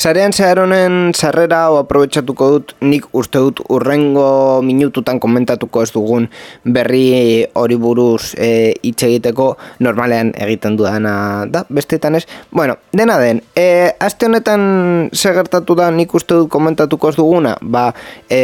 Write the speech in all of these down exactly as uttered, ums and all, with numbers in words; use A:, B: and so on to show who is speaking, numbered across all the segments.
A: Sarean zehar honen sarrera o aprobetxatuko dut, nik uste dut urrengo minututan komentatuko ez dugun berri hori buruz e, hitz egiteko normalean egiten dudana da, bestetan ez. Bueno, dena den, e, aste honetan segertatu da nik uste dut komentatuko ez duguna, ba, e,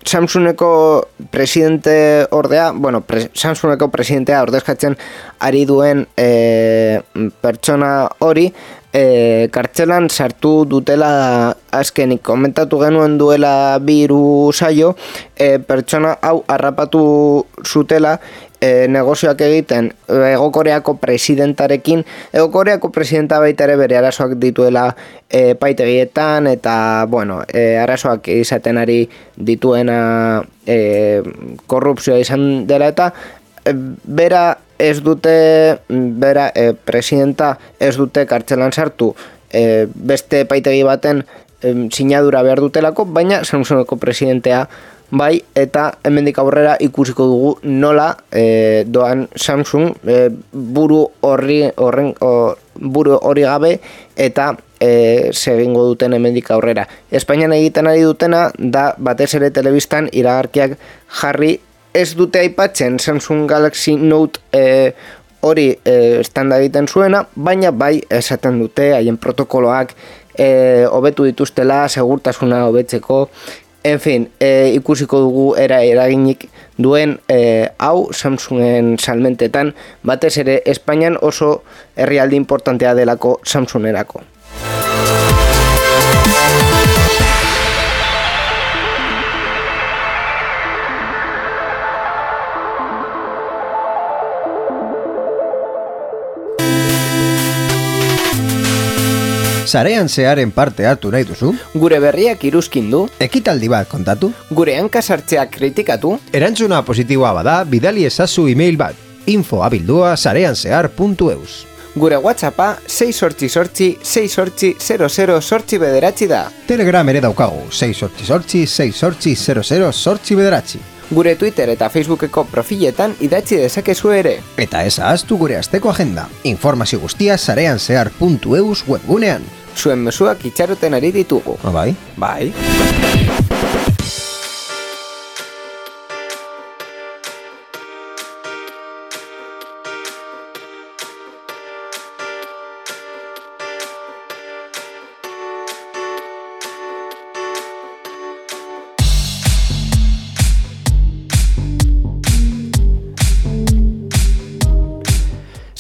A: Samsungeko presidente ordea, bueno, pre, Samsungeko presidentea ordezkatzen ari duen e, pertsona hori, E, kartzelan sartu dutela azkenik komentatu genuen duela bi hiru saio, e, pertsona hau harrapatu zutela e, negozioak egiten Hego Koreako presidentarekin. Hego Koreako presidenta baita ere bere arazoak dituela e, paitegietan eta bueno, e, arazoak izaten ari dituena e, korrupzioa izan dela eta e, bera ez dute, bera, e, presidenta ez dute kartzelan sartu e, beste paitegi baten e, sinadura behar dutelako, baina Samsungeko presidentea bai, eta hemendik aurrera ikusiko dugu nola e, doan Samsung e, buru horri horren o, buru hori gabe eta e, segingo duten hemendik aurrera. Espainian egiten ari dutena da batez ere telebistan iragarkiak jarri. Ez dute aipatzen Samsung Galaxy Note e, hori e, standa egiten zuena, baina bai esaten dute haien protokoloak e, hobetu dituztela, segurtasuna hobetzeko. En fin, e, ikusiko dugu era eraginik duen e, hau Samsungen salmentetan, batez ere Espainian oso herrialde importantea delako Samsungerako.
B: Sarean zearen parte hartu nahi duzu?
A: Gure berriak iruzkin du?
B: Ekitaldi bat kontatu?
A: Gure hankasartzeak kritikatu?
B: Erantzuna positiboa bada, bidali ezazu email bat, info abildua sareanzehar puntu eus.
A: Gure WhatsAppa sei sortzi sortzi sei sortzi zero zero sortzi bederatzi da.
B: Telegram ere daukagu, sei sortzi sortzi sei sortzi zero zero sortzi bederatzi.
A: Gure Twitter eta Facebookeko profiletan idatzi dezakezu ere.
B: Eta ez ahaztu gure asteko agenda. Informazio guztia sareanzehar puntu eus webgunean.
A: Zuen mezuak itxaroten ari ditugu.
B: Ah, bai?
A: Bai.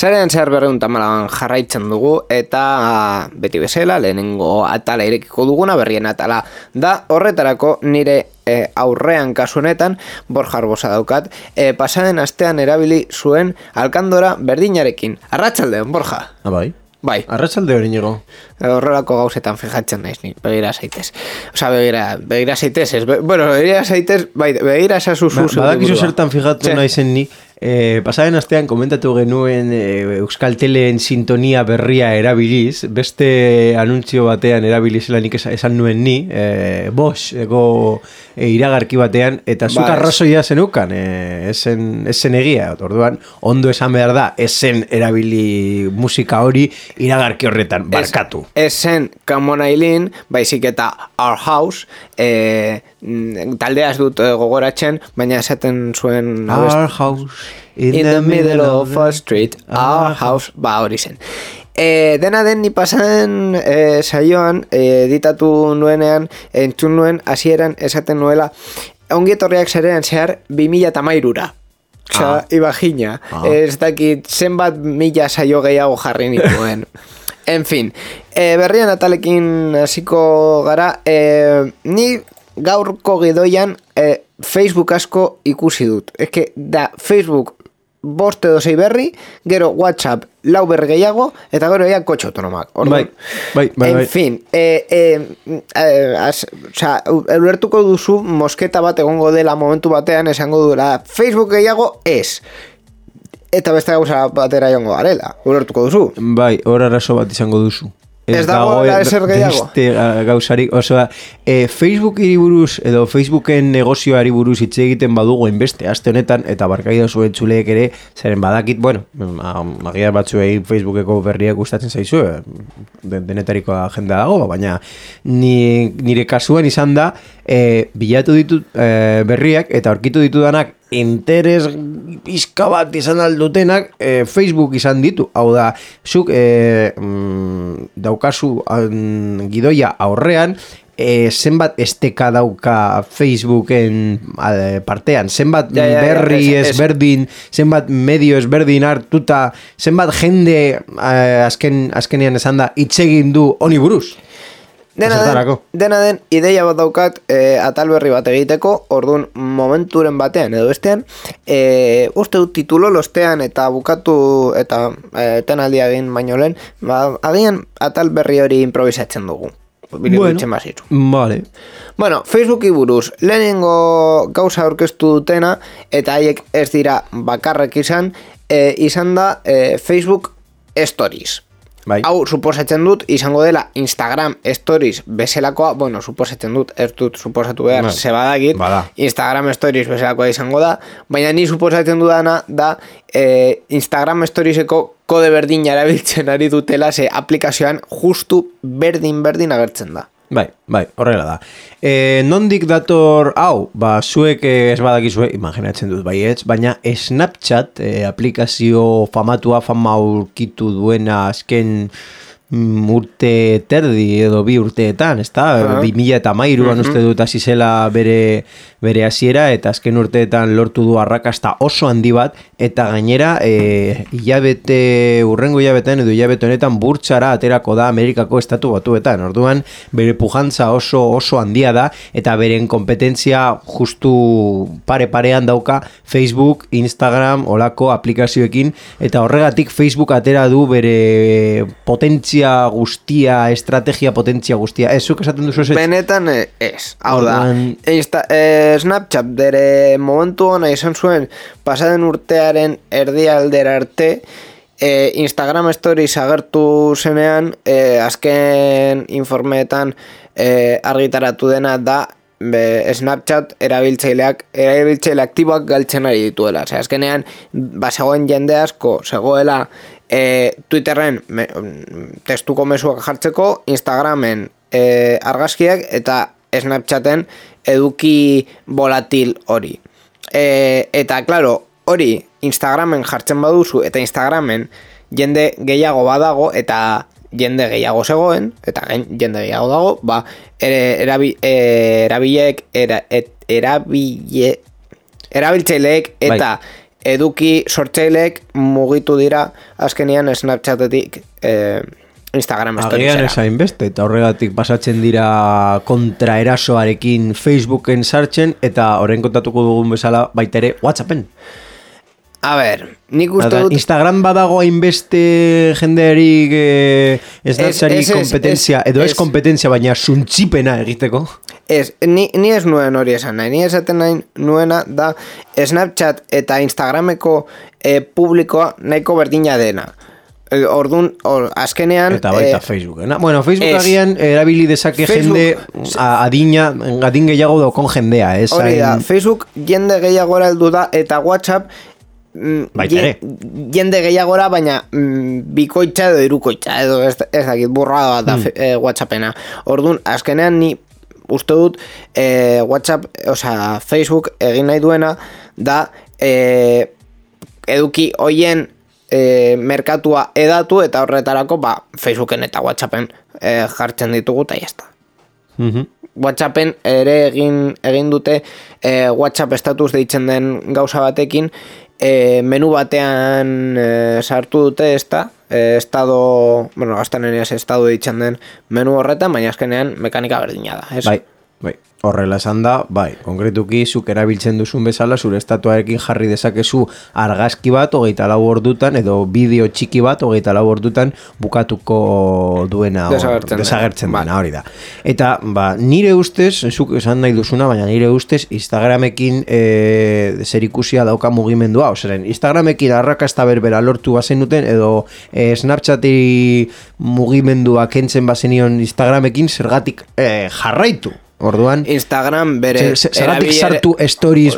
A: Sarean zehar berreun tamalan jarraitzen dugu eta beti bezala lehenengo atala irekiko duguna berrien atala da. Horretarako nire e, aurrean kasu honetan Borja Arbosa daukat, e, pasaden astean erabili zuen alkandora berdinarekin. Arratsaldeon, Borja.
B: Ah, bai?
A: Bai.
B: Arratsalde hori nigo.
A: Horrelako gauzetan fijatzen naiz ni, begira zaitez. Osa, begira, begira zaitez, ez, be, bueno, begira zaitez, bai, begira zazu zu.
B: Ba, badakizu zertan fijatu naizen ni. Eh, pasaren astean komentatu genuen eh, Euskal Teleen sintonia berria erabiliz, beste anuntzio batean erabilizela nik esan nuen ni, eh, Bosch, ego eh, iragarki batean, eta zuk ba, arrazoia zenukan, eh, esen, esen egia, orduan, ondo esan behar da, esen erabili musika hori iragarki horretan, barkatu.
A: Esen Kamonailin, baizik eta Our House, eh, taldeaz dut gogoratzen, baina esaten zuen...
B: Our House...
A: In, in the, the middle of a street, our house, ba hori zen. E, dena den ni pasan e, saioan e, editatu nuenean, entzun nuen hasieran esaten nuela ongietorriak Sarean zehar bi mila hamairura. Osa, ah. Ibagina. Ah. Ez dakit zenbat mila saio gehiago jarri nituen. En fin, e, berrian atalekin hasiko gara, e, ni gaurko gidoian e, Facebook asko ikusi dut. Ez que da Facebook bost edo sei berri, gero WhatsApp lau berri gehiago, eta gero ea kotxe autonomak.
B: Bai, bai, bai.
A: En
B: bai.
A: fin, eh, eh, eh, as, oza, ulertuko duzu mosketa bat egongo dela momentu batean esango duela Facebook gehiago ez. Eta beste gauza batera jongo garela, ulertuko duzu.
B: Bai, hor arazo bat izango duzu.
A: Ez dago la eser gehiago.
B: Beste gauzarik, osea, e, Facebookiri buruz edo Facebooken negozioari buruz hitz egiten badugu enbeste aste honetan, eta barkaida zuen txuleek ere, zeren badakit, bueno, magia batzuei Facebookeko berriak gustatzen zaizu, denetariko agenda dago, baina ni, nire kasuan izan da, e, bilatu ditut e, berriak, eta aurkitu ditudanak interes pizka bat izan aldutenak e, Facebook izan ditu. Hau da, zuk e, mm, daukazu an, gidoia aurrean, e, zenbat esteka dauka Facebooken a, partean, zenbat ja, ja, berri ja, es, ezberdin, zenbat medio ezberdin hartuta, zenbat jende a, azken, azkenean esan da itzegin du honi buruz.
A: Dena den, dena den, ideia bat daukat e, atal berri bat egiteko, orduan momenturen batean edo bestean, e, uste dut titulo lostean eta bukatu eta e, tenaldia egin baino lehen, ba, agian atal berri hori improvisatzen dugu.
B: Bueno, vale.
A: Bueno, Facebooki buruz, lehenengo gauza aurkeztu dutena, eta haiek ez dira bakarrek izan, e, izan da e, Facebook Stories. Bai. Hau, suposatzen dut, izango dela Instagram Stories bezalakoa, bueno, suposatzen dut, ez dut suposatu behar, bai. Se badakit, Bada. Instagram Stories bezalakoa izango da, baina ni suposatzen dudana da eh, Instagram Storieseko kode berdin erabiltzen ari dutela, ze aplikazioan justu berdin-berdin agertzen da.
B: Bai, bai, horrela da. E, nondik dator hau, ba, zuek ez badakizue, imaginatzen dut baietz, baina Snapchat, e, aplikazio famatua, fama aurkitu duena azken mm, urte terdi edo bi urteetan, ezta? Uh-huh. bi mila eta hamairuan uh-huh. uste dut hasi zela bere, bere hasiera, eta azken urteetan lortu du arrakasta oso handi bat, eta gainera e, hilabete, urrengo hilabetean edo hilabete honetan burtsara aterako da Amerikako estatu batuetan. Orduan bere pujantza oso oso handia da, eta beren kompetentzia justu pare parean dauka Facebook, Instagram, olako aplikazioekin, eta horregatik Facebook atera du bere potentzia guztia, estrategia potentzia guztia. Ez, zuk esaten duzu ez?
A: Benetan ez. Hau da, Insta, eh, Snapchat bere momentu hona izan zuen pasaden urtearen erdialdera arte, e, Instagram Stories agertu zenean, e, azken informeetan e, argitaratu dena da be, Snapchat erabiltzaileak erabiltzaile aktiboak galtzen ari dituela. Osea, azkenean bazegoen jende asko zegoela e, Twitterren me, testuko mezuak jartzeko, Instagramen e, argazkiak eta Snapchaten eduki volatil hori. E, eta, claro, hori Instagramen jartzen baduzu eta Instagramen jende gehiago badago eta jende gehiago zegoen eta jende gehiago dago, ba, erabi, erabilek era, et, erabile, erabiltzaileek eta bai. Eduki sortzaileek mugitu dira azkenean Snapchatetik eh, Instagram Storiesera.
B: Agian esain beste, eta horregatik pasatzen dira kontraerasoarekin Facebooken sartzen, eta horren kontatuko dugun bezala baita ere WhatsAppen.
A: A ber, nik uste dut...
B: Instagram badago hainbeste jendearik eh, Snapchatik kompetentzia, edo ez kompetentzia, baina suntzipena egiteko. Ez, ni, ni ez nuen hori esan nahi, ni esaten nahi nuena da Snapchat eta Instagrameko eh, publikoa nahiko berdina dena. Ordun, or, azkenean... Eta baita eh, Facebookena. Bueno, Facebook agian erabili dezake Facebook, jende adina, adin gehiago daukon jendea. Ez,
A: hori da, hain... Facebook jende gehiagora heldu da, eta WhatsApp
B: baita ere.
A: Jende gehiagora, baina mm, bikoitza edo irukoitza, edo ez, ez dakit, burrada bat da mm. eh, WhatsAppena. Ordun, azkenean ni uste dut eh, WhatsApp, osea, Facebook egin nahi duena da eh, eduki hoien E, merkatua edatu eta horretarako ba, Facebooken eta WhatsAppen e, jartzen ditugu eta jazta.
B: Mm-hmm.
A: WhatsAppen ere egin, egin dute e, WhatsApp status deitzen den gauza batekin e, menu batean e, sartu dute ezta e, estado, bueno, gaztaneneaz estado deitzen den menu horretan, baina azkenean mekanika berdina da, ez?
B: Bai. Bai. Horrela esan da, bai, konkretuki zuk erabiltzen duzun bezala, zure estatuarekin jarri dezakezu argazki bat hogeita lau ordutan, edo bideo txiki bat hogeita lau ordutan bukatuko duena
A: desagertzen,
B: desagertzen dena, hori da. Eta, ba, nire ustez, zuk esan nahi duzuna, baina nire ustez Instagramekin e, zerikusia dauka mugimendua, oseren, Instagramekin arrakasta berbera lortu bazen duten, edo e, Snapchati mugimendua kentzen bazenion Instagramekin zergatik e, jarraitu. Orduan,
A: Instagram bere
B: zeratik sartu stories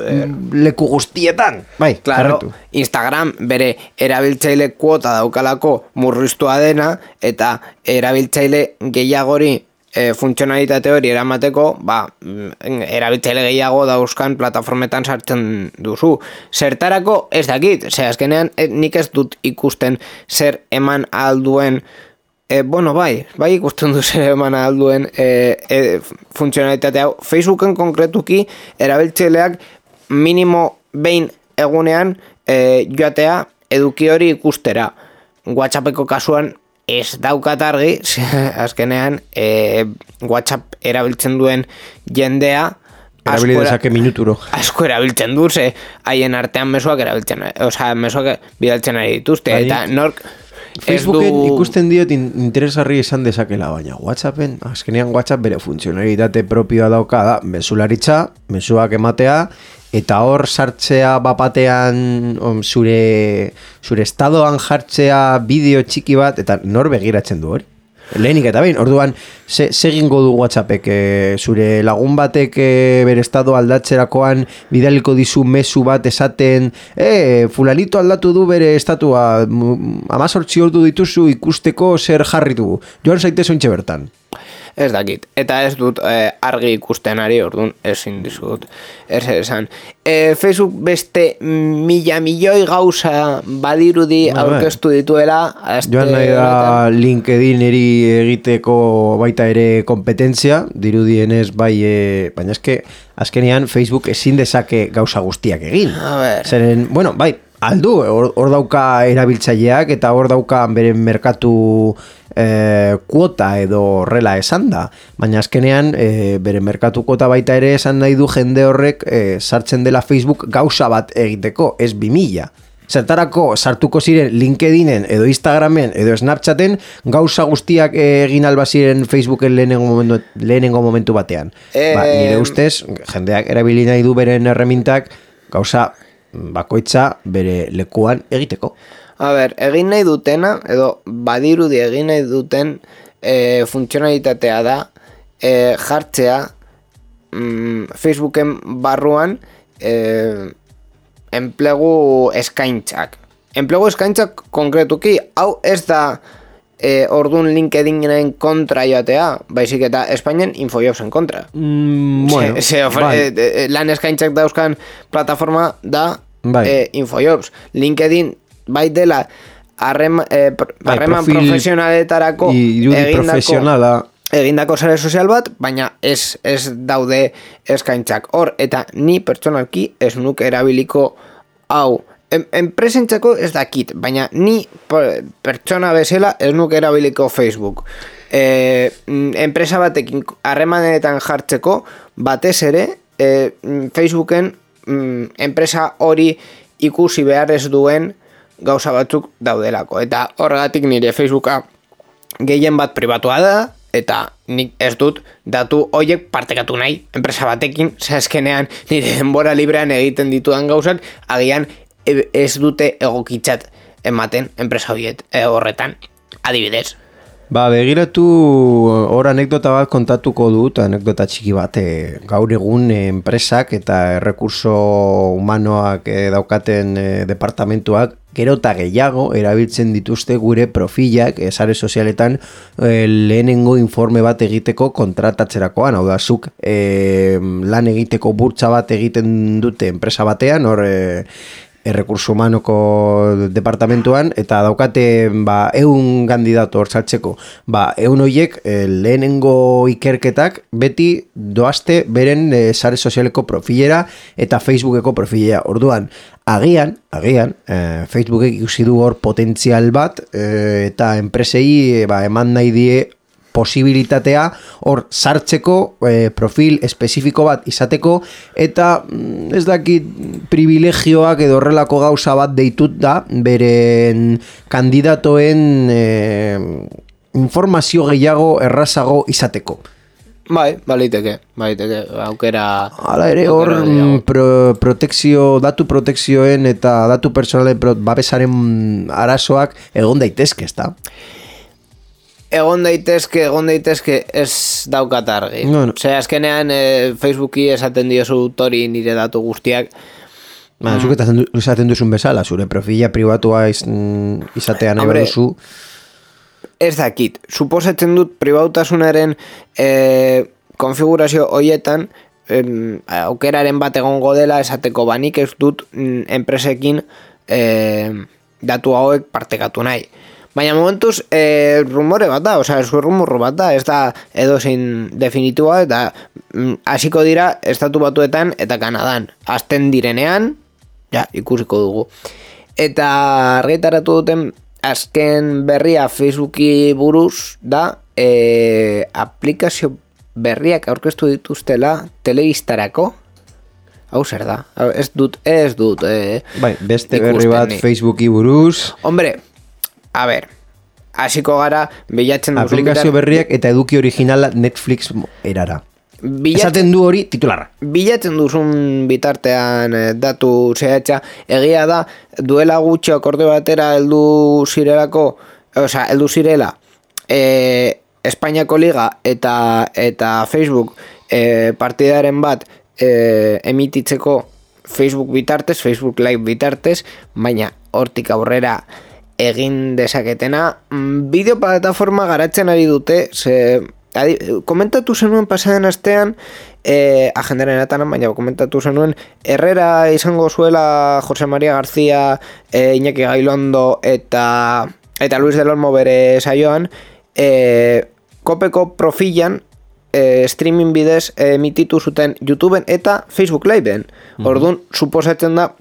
B: leku guztietan. Bai,
A: claro, Instagram bere erabiltzaile kuota daukalako murriztua dena, eta erabiltzaile gehiagori e, funtzionalitate hori eramateko, ba, erabiltzaile gehiago dauzkan plataformetan sartzen duzu. Zertarako ez dakit, ze azkenean e, nik ez dut ikusten zer eman alduen. E, bueno, bai, bai ikusten du zer eman alduen e, e, funtzionalitate hau. Facebooken konkretuki erabiltzaileak minimo behin egunean e, joatea eduki hori ikustera. WhatsAppeko kasuan ez daukat argi, azkenean e, WhatsApp erabiltzen duen jendea
B: erabili dezake minuturo.
A: Asko erabiltzen du, ze haien artean mezuak erabiltzen, osea, mezuak bidaltzen ari dituzte, bai. Eta nork
B: Facebooken du... ikusten diot interesgarri esan dezakela, baina WhatsAppen, azkenean WhatsApp bere funtzionalitate propioa dauka da, mesularitza, mezuak ematea, eta hor sartzea bapatean om, zure, zure estadoan jartzea bideo txiki bat, eta nor begiratzen du hori? Lehenik eta behin, orduan, ze, segingo du WhatsAppek, e, zure lagun batek e, bere estado aldatzerakoan bidaliko dizu mezu bat esaten, e, fulanito aldatu du bere estatua, amazortzi ordu dituzu ikusteko zer jarri du, joan zaitez ontxe bertan.
A: Ez dakit, eta ez dut eh, argi ikusten ari, orduan ezin dizut ez esan. E, Facebook beste mila milioi gauza badirudi ba, aurkeztu dituela.
B: Joan nahi da LinkedIneri egiteko baita ere kompetentzia, dirudienez bai, e, baina eske azkenean Facebook ezin dezake gauza guztiak egin. Zeren, bueno, bai, aldu, hor, hor dauka erabiltzaileak eta hor dauka beren merkatu e, kuota edo horrela esan da, baina azkenean e, bere merkatu kuota baita ere esan nahi du jende horrek e, sartzen dela Facebook gauza bat egiteko, ez bi mila. Zertarako sartuko ziren LinkedInen edo Instagramen edo Snapchaten gauza guztiak egin alba ziren Facebooken lehenengo momentu, lehenengo momentu batean. E... Ba, nire ustez, jendeak erabili nahi du beren erremintak gauza bakoitza bere lekuan egiteko.
A: A ber, egin nahi dutena, edo badirudi egin nahi duten e, funtzionalitatea da e, jartzea mm, Facebooken barruan e, enplegu eskaintzak. Enplegu eskaintzak konkretuki, hau ez da e, ordun LinkedInen kontra joatea, baizik eta Espainian Infojobsen kontra.
B: Mm, bueno,
A: se, se ofre, bai. e, lan eskaintzak dauzkan plataforma da bai. e, Infojobs. LinkedIn bai dela harreman eh, bai, profesionaletarako
B: egindako,
A: egindako sare sozial bat, baina ez, ez daude eskaintzak hor, eta ni pertsonalki ez nuke erabiliko hau. En, enpresentzako ez dakit, baina ni pertsona bezala ez nuke erabiliko Facebook. E, enpresa batekin harremanetan jartzeko batez ere e, Facebooken mm, enpresa hori ikusi behar ez duen gauza batzuk daudelako, eta horregatik nire Facebooka gehien bat pribatua da, eta nik ez dut datu horiek partekatu nahi enpresa batekin, zazkenean nire denbora librean egiten ditudan gauzak agian ez dute egokitzat ematen enpresa horiet e, horretan, adibidez.
B: Ba, begiratu hor anekdota bat kontatuko dut, anekdota txiki bat, e, gaur egun e, enpresak eta errekurso humanoak e, daukaten e, departamentuak gero eta gehiago erabiltzen dituzte gure profilak e, sare sozialetan e, lehenengo informe bat egiteko kontratatzerakoan, hau da, zuk e, lan egiteko burtsa bat egiten dute enpresa batean, hor e, errekurso humanoko departamentuan, eta daukate ba, eun kandidato hor saltzeko. Ba, eun horiek e, lehenengo ikerketak beti doazte beren e, sare sozialeko profilera eta Facebookeko profilera. Orduan, agian, agian, e, Facebookek ikusi du hor potentzial bat e, eta enpresei e, ba, eman nahi die posibilitatea hor sartzeko e, profil espezifiko bat izateko eta ez dakit privilegioak edo horrelako gauza bat deitut da beren kandidatoen e, informazio gehiago errazago izateko.
A: Bai, baliteke, baliteke, aukera...
B: Hala ere, hor pro, protekzio, datu protekzioen eta datu personalen babesaren arazoak egon daitezke, ezta?
A: Egon daitezke, egon daitezke ez daukat argi. No, no. Osea, azkenean eh, Facebooki esaten diozu tori nire datu guztiak.
B: Ba, mm. Zuk eta esaten duzun bezala, zure profila pribatua iz, izatea nahi baduzu...
A: Ez dakit, suposatzen dut pribautasunaren e, konfigurazio hoietan e, aukeraren bat egongo dela esateko banik ez dut mm, enpresekin e, datu hauek partekatu nahi. Baina momentuz e, rumore bat da, oza, esku rumorro bat da, ez da edozein definitua eta hasiko mm, dira estatu batuetan eta Kanadan. Azten direnean, ja, ikusiko dugu. Eta argitaratu duten azken berria Facebooki buruz da e, aplikazio berriak aurkeztu dituztela telebistarako. Hau zer da? Ez dut, ez dut. E,
B: bai, beste berri bat ni. Facebooki buruz.
A: Hombre, a ber, hasiko gara bilatzen duzun...
B: Aplikazio bitar... berriak eta eduki originala Netflix erara. Bilatzen, esaten du hori titularra.
A: Bilatzen duzun bitartean eh, datu zehatza, egia da duela gutxi akorde batera heldu zirelako, osea, heldu zirela eh, Espainiako Liga eta eta Facebook eh, partidaren bat eh, emititzeko Facebook bitartez, Facebook Live bitartez, baina hortik aurrera egin dezaketena bideo plataforma garatzen ari dute, ze Adi, komentatu zenuen pasaden astean eh, agendaren atanan, baina komentatu zenuen Herrera izango zuela Jose Maria García, eh, Iñaki Gailondo eta eta Luis del Olmo bere saioan eh, kopeko profilan eh, streaming bidez eh, emititu zuten YouTubeen eta Facebook Liveen. Mm-hmm. Orduan, suposatzen da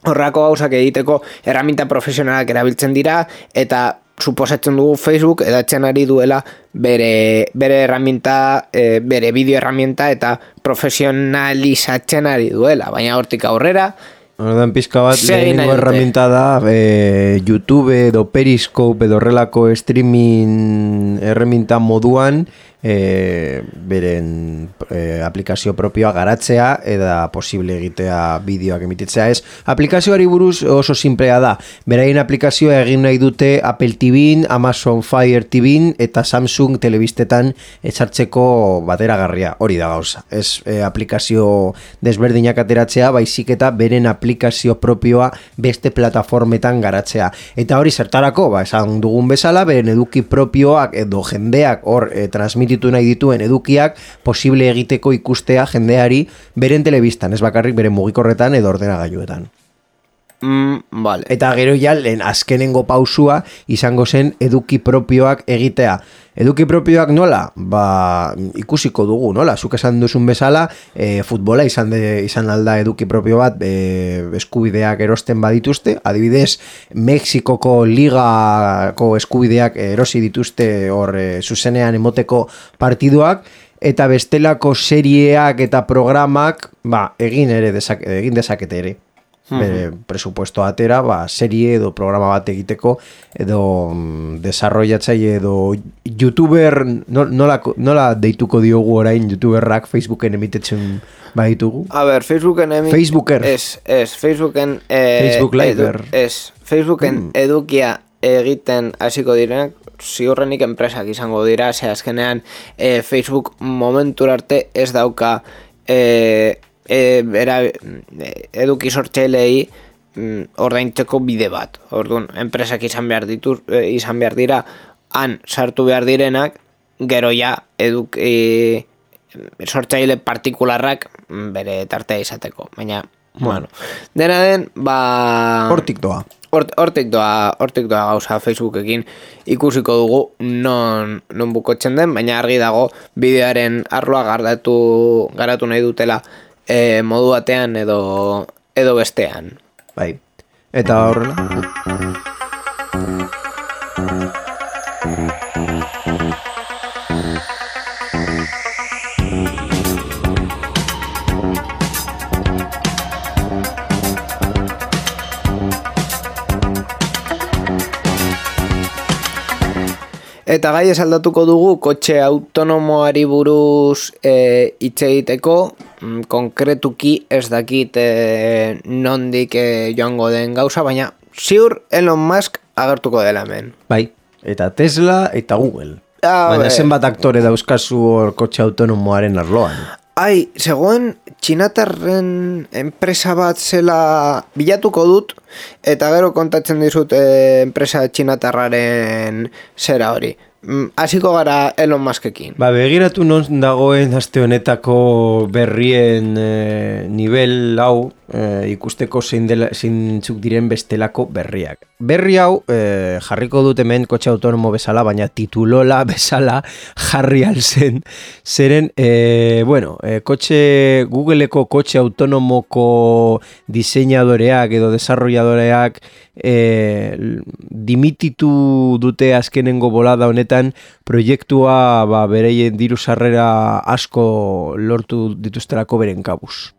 A: horrako gauzak egiteko erraminta profesionalak erabiltzen dira eta suposatzen dugu Facebook edatzen ari duela bere, bere erraminta, e, bere bideo erraminta eta profesionalizatzen ari duela, baina hortik aurrera
B: Ordan pizka bat lehenengo erraminta da e, YouTube edo Periscope edo horrelako streaming erraminta moduan e, beren e, aplikazio propioa garatzea eta posible egitea bideoak emititzea. Ez, aplikazioari buruz oso simplea da. Beraien aplikazioa egin nahi dute Apple T V, Amazon Fire T V eta Samsung telebistetan etxartzeko bateragarria. Hori da gauza. Ez e, aplikazio desberdinak ateratzea, baizik eta beren aplikazio propioa beste plataformetan garatzea. Eta hori zertarako, ba, esan dugun bezala, beren eduki propioak edo jendeak hor e, transmititu nahi dituen edukiak posible egiteko ikustea jendeari beren telebistan, ez bakarrik beren mugikorretan edo ordenagailuetan.
A: Mm, vale.
B: Eta gero ja, lehen azkenengo pausua izango zen eduki propioak egitea. Eduki propioak nola? Ba, ikusiko dugu, nola? Zuk esan duzun bezala, e, futbola izan, de, izan alda eduki propio bat e, eskubideak erosten badituzte. Adibidez, Mexikoko ligako eskubideak erosi dituzte hor e, zuzenean emoteko partiduak. Eta bestelako serieak eta programak ba, egin ere dezak, egin dezakete ere. Bere presupuesto atera, ba, serie edo programa bat egiteko edo mm, desarrollatzaile edo youtuber nola, nola deituko diogu orain youtuberrak Facebooken emitetzen baditugu?
A: A ber, Facebooken emit...
B: Facebooker.
A: Ez, ez, Facebooken... Eh,
B: Facebook Liver.
A: Edu, ez, Facebooken mm. edukia egiten hasiko direnak, ziurrenik enpresak izango dira, ze azkenean eh, Facebook momentur arte ez dauka... Eh, E, era, eduki sortzailei mm, ordaintzeko bide bat. Orduan, enpresak izan behar ditu, e, izan behar dira, han sartu behar direnak, gero ja eduki e, sortzaile partikularrak bere tartea izateko. Baina, hmm. bueno, dena den, ba...
B: Hortik doa.
A: Hortik doa, hortik doa gauza Facebookekin ikusiko dugu non, non bukotzen den, baina argi dago bideoaren arloa garatu, garatu nahi dutela E, modu batean edo edo bestean.
B: Bai. Eta horrela.
A: Eta gai esaldatuko dugu kotxe autonomoari buruz e, hitz egiteko, mm, konkretuki ez dakit e, nondik e, joango den gauza, baina ziur Elon Musk agertuko dela hemen.
B: Bai, eta Tesla eta Google.
A: Ah,
B: baina
A: be.
B: zenbat aktore dauzkazu hor kotxe autonomoaren arloan.
A: Ai, zegoen txinatarren enpresa bat zela bilatuko dut, eta gero kontatzen dizut e, enpresa txinatarraren zera hori. Hasiko gara Elon Muskekin.
B: Ba, begiratu non dagoen aste honetako berrien e, nivel hau e, ikusteko zein dela, zeintzuk diren bestelako berriak. Berri hau e, jarriko dut hemen kotxe autonomo bezala, baina titulola bezala jarri alzen. Zeren, e, bueno, e, kotxe, Googleeko kotxe autonomoko diseinadoreak edo desarrolladoreak e, dimititu dute azkenengo bolada honetan proiektua ba, bereien diru sarrera asko lortu dituzterako beren kabuz.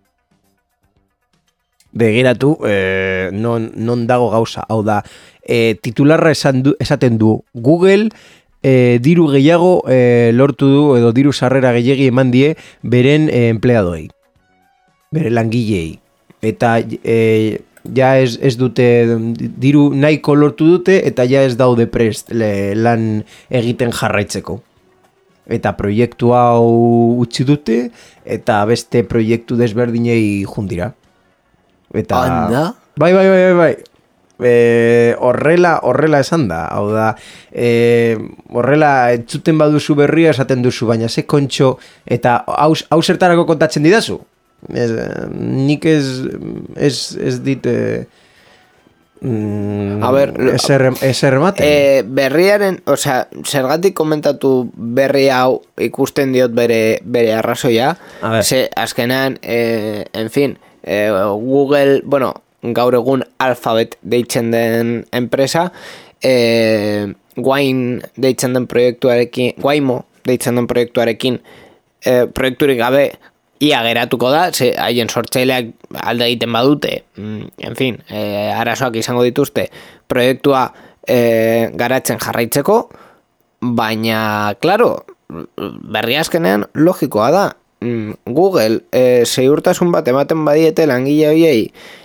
B: Begiratu, eh, non, non dago gauza, hau da, eh, titularra esan du, esaten du, Google eh, diru gehiago eh, lortu du edo diru sarrera gehiagi eman die beren eh, empleadoei, bere langilei, eta eh, ja ez, ez dute diru nahiko lortu dute eta ja ez daude prest le, lan egiten jarraitzeko. Eta proiektu hau utzi dute eta beste proiektu desberdinei jundira. Eta
A: Anda?
B: Bai, bai, bai, bai, bai. E, horrela, horrela esan da. Hau da, e, horrela entzuten baduzu berria esaten duzu, baina ze kontxo eta hau, hau zertarako kontatzen didazu? Ez, nik ez, ez, ez dit e, mm,
A: A ber,
B: ezer ematen.
A: E, berriaren, osea, zergatik komentatu berri hau ikusten diot bere, bere arrazoia, ze azkenean, e, en fin, e, Google, bueno, gaur egun Alphabet deitzen den enpresa, e, Wine deitzen den proiektuarekin, Waymo deitzen den proiektuarekin, e, proiekturik gabe, ia geratuko da, ze haien sortzaileak alde egiten badute, en fin, e, arazoak izango dituzte, proiektua e, garatzen jarraitzeko, baina, klaro, berri azkenean logikoa da. Google e, segurtasun bat ematen badiete langile horiei,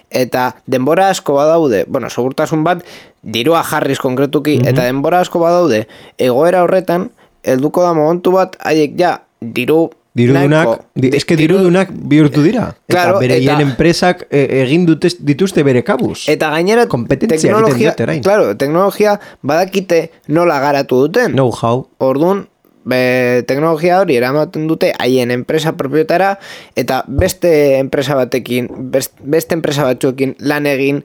A: eta denbora asko badaude, bueno, segurtasun bat dirua jarriz konkretuki, mm-hmm. eta denbora asko badaude, egoera horretan, helduko da momentu bat, haiek ja, diru
B: Dirudunak, di, eske dirudunak bihurtu dira.
A: Claro,
B: eta bereien enpresak e, egin dute, dituzte bere kabuz.
A: Eta gainera teknologia, claro, teknologia badakite nola garatu duten.
B: Know-how.
A: Orduan, be, teknologia hori eramaten dute haien enpresa propietara eta beste enpresa batekin, best, beste enpresa batzuekin lan egin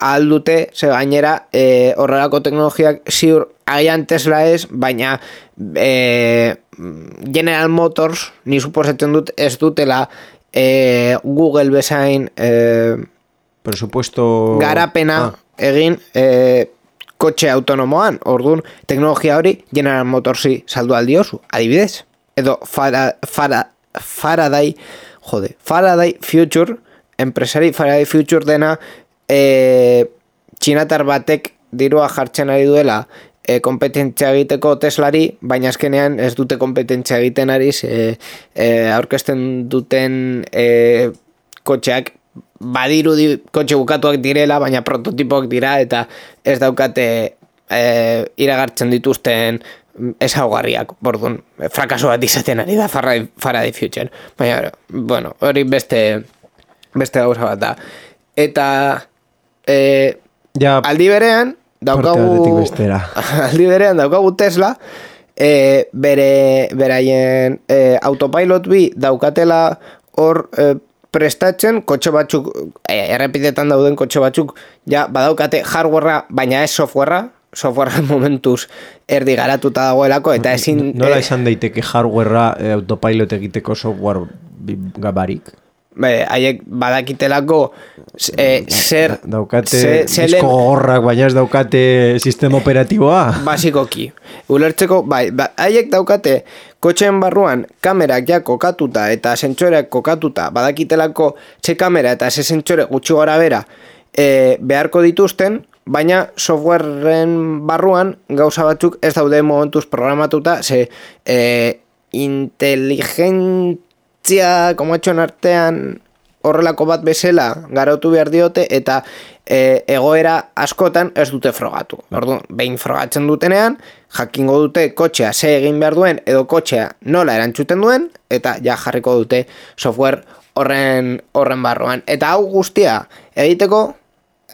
A: ahal dute, ze gainera e, horrelako teknologiak ziur agian Tesla ez, baina e, General Motors, ni suposatzen dut ez dutela e, Google bezain e,
B: presupuesto
A: garapena ah. egin e, kotxe autonomoan. Orduan, teknologia hori General Motorsi saldu aldiozu, adibidez. Edo Fara, Fara, Faraday, jode, Faraday Future, enpresari Faraday Future dena e, txinatar batek dirua jartzen ari duela E, kompetentzia egiteko Teslari, baina azkenean ez dute kompetentzia egiten ari, e, e, aurkezten duten e, kotxeak badirudi kotxe bukatuak direla, baina prototipoak dira eta ez daukate e, iragartzen dituzten ezaugarriak, bordun, frakaso bat izaten ari da Faraday, Faraday Future. Baina, bueno, hori beste beste gauza bat da. Eta e,
B: ja,
A: aldi berean daukagu aldi berean daukagu Tesla e, bere beraien e, autopilot bi daukatela hor e, prestatzen kotxe batzuk e, errepidetan dauden kotxe batzuk ja badaukate hardwarea baina ez softwarea softwarea momentuz erdi garatuta dagoelako eta ezin
B: nola izan daiteke hardwarea e, autopilot egiteko software gabarik?
A: Be, haiek badakitelako e, zer
B: daukate disko gogorrak baina ez daukate sistema operatiboa
A: basikoki ulertzeko bai, ba, haiek daukate kotxeen barruan kamerak ja kokatuta eta sentsoreak kokatuta badakitelako ze kamera eta ze sentsore gutxi gora bera e, beharko dituzten baina softwareen barruan gauza batzuk ez daude momentuz programatuta, ze e, inteligentzia komatxon artean horrelako bat bezala garautu behar diote, eta e, egoera askotan ez dute frogatu. Orduan, behin frogatzen dutenean, jakingo dute kotxea ze egin behar duen, edo kotxea nola erantzuten duen, eta ja jarriko dute software horren, horren barruan. Eta hau guztia egiteko,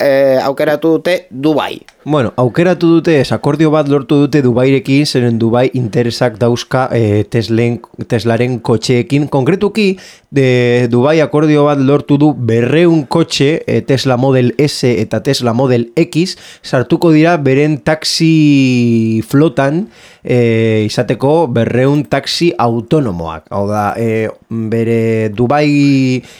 A: e, aukeratu dute Dubai.
B: Bueno, aukeratu dute, akordio bat lortu dute Dubairekin, zeren Dubai interesak dauzka e, Teslen, Teslaren kotxeekin. Konkretuki, de Dubai akordio bat lortu du berreun kotxe, e, Tesla Model S eta Tesla Model X, sartuko dira beren taxi flotan, e, izateko berreun taxi autonomoak. Hau da, e, bere Dubai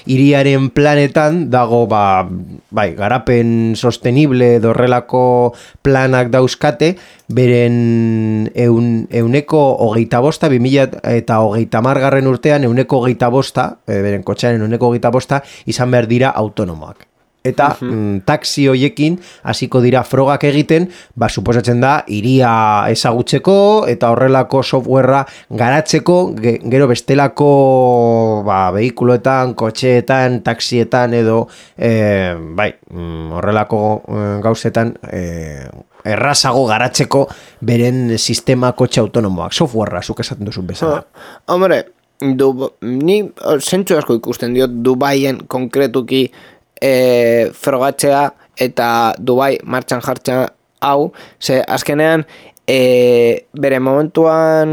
B: hiriaren planetan dago, ba, bai, garapen sostenible dorrelako planak dauzkate, beren eun, euneko hogeita bosta, bimila eta hogeita margarren urtean euneko hogeita bosta, beren kotxearen euneko hogeita bosta, izan behar dira autonomoak. Eta uh-huh. mm, taxi hoiekin hasiko dira frogak egiten, ba, suposatzen da, iria ezagutzeko eta horrelako softwarea garatzeko, ge, gero bestelako ba, behikuloetan, kotxeetan, taxietan edo eh, bai, mm, horrelako eh, gauzetan eh, errazago garatzeko beren sistema kotxe autonomoak, softwarea, zuk esaten duzun bezala.
A: Oh, hombre, du, ni zentzu asko ikusten diot Dubaien konkretuki E, frogatzea eta Dubai martxan jartzea hau, ze azkenean e, bere momentuan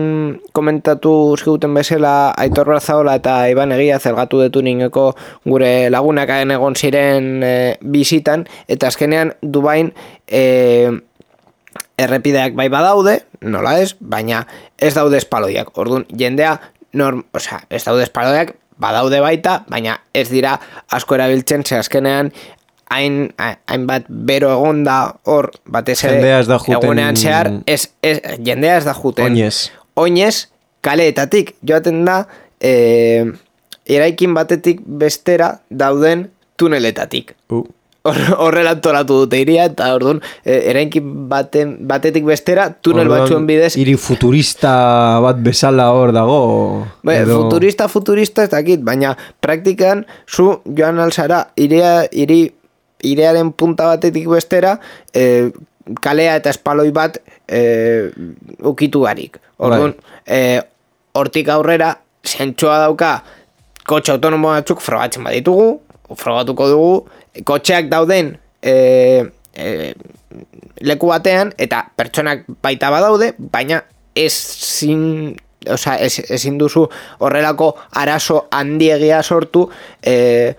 A: komentatu ziguten bezala Aitor Brazaola eta Iban Egia zergatu detu ningeko gure lagunak egon ziren e, bizitan, eta azkenean Dubain e, errepideak bai badaude, nola ez, baina ez daude espaloiak. Orduan, jendea norm, osea, ez daude espaloiak, badaude baita, baina ez dira asko erabiltzen, ze azkenean hain, hainbat bero egonda hor, batez ere egunean zehar, ez, ez, jendea ez da juten.
B: Oinez.
A: Oinez, kaleetatik, joaten da, e, eraikin batetik bestera dauden tuneletatik.
B: Uh.
A: Horrela antolatu dute iria, eta orduan, eraikin baten, batetik bestera, tunel orduan, batzuen bidez.
B: Hiri futurista bat bezala hor dago.
A: Be, edo... Futurista, futurista ez dakit, baina praktikan zu joan alzara iria, iri, iriaren punta batetik bestera, e, kalea eta espaloi bat e, ukitu barik. Orduan, e, hortik aurrera, zentsua dauka, kotxe autonomo batzuk frogatzen baditugu, frogatuko dugu, kotxeak dauden e, e, leku batean, eta pertsonak baita badaude, baina ezin, osea, ez, ezin duzu horrelako arazo handiegia sortu e,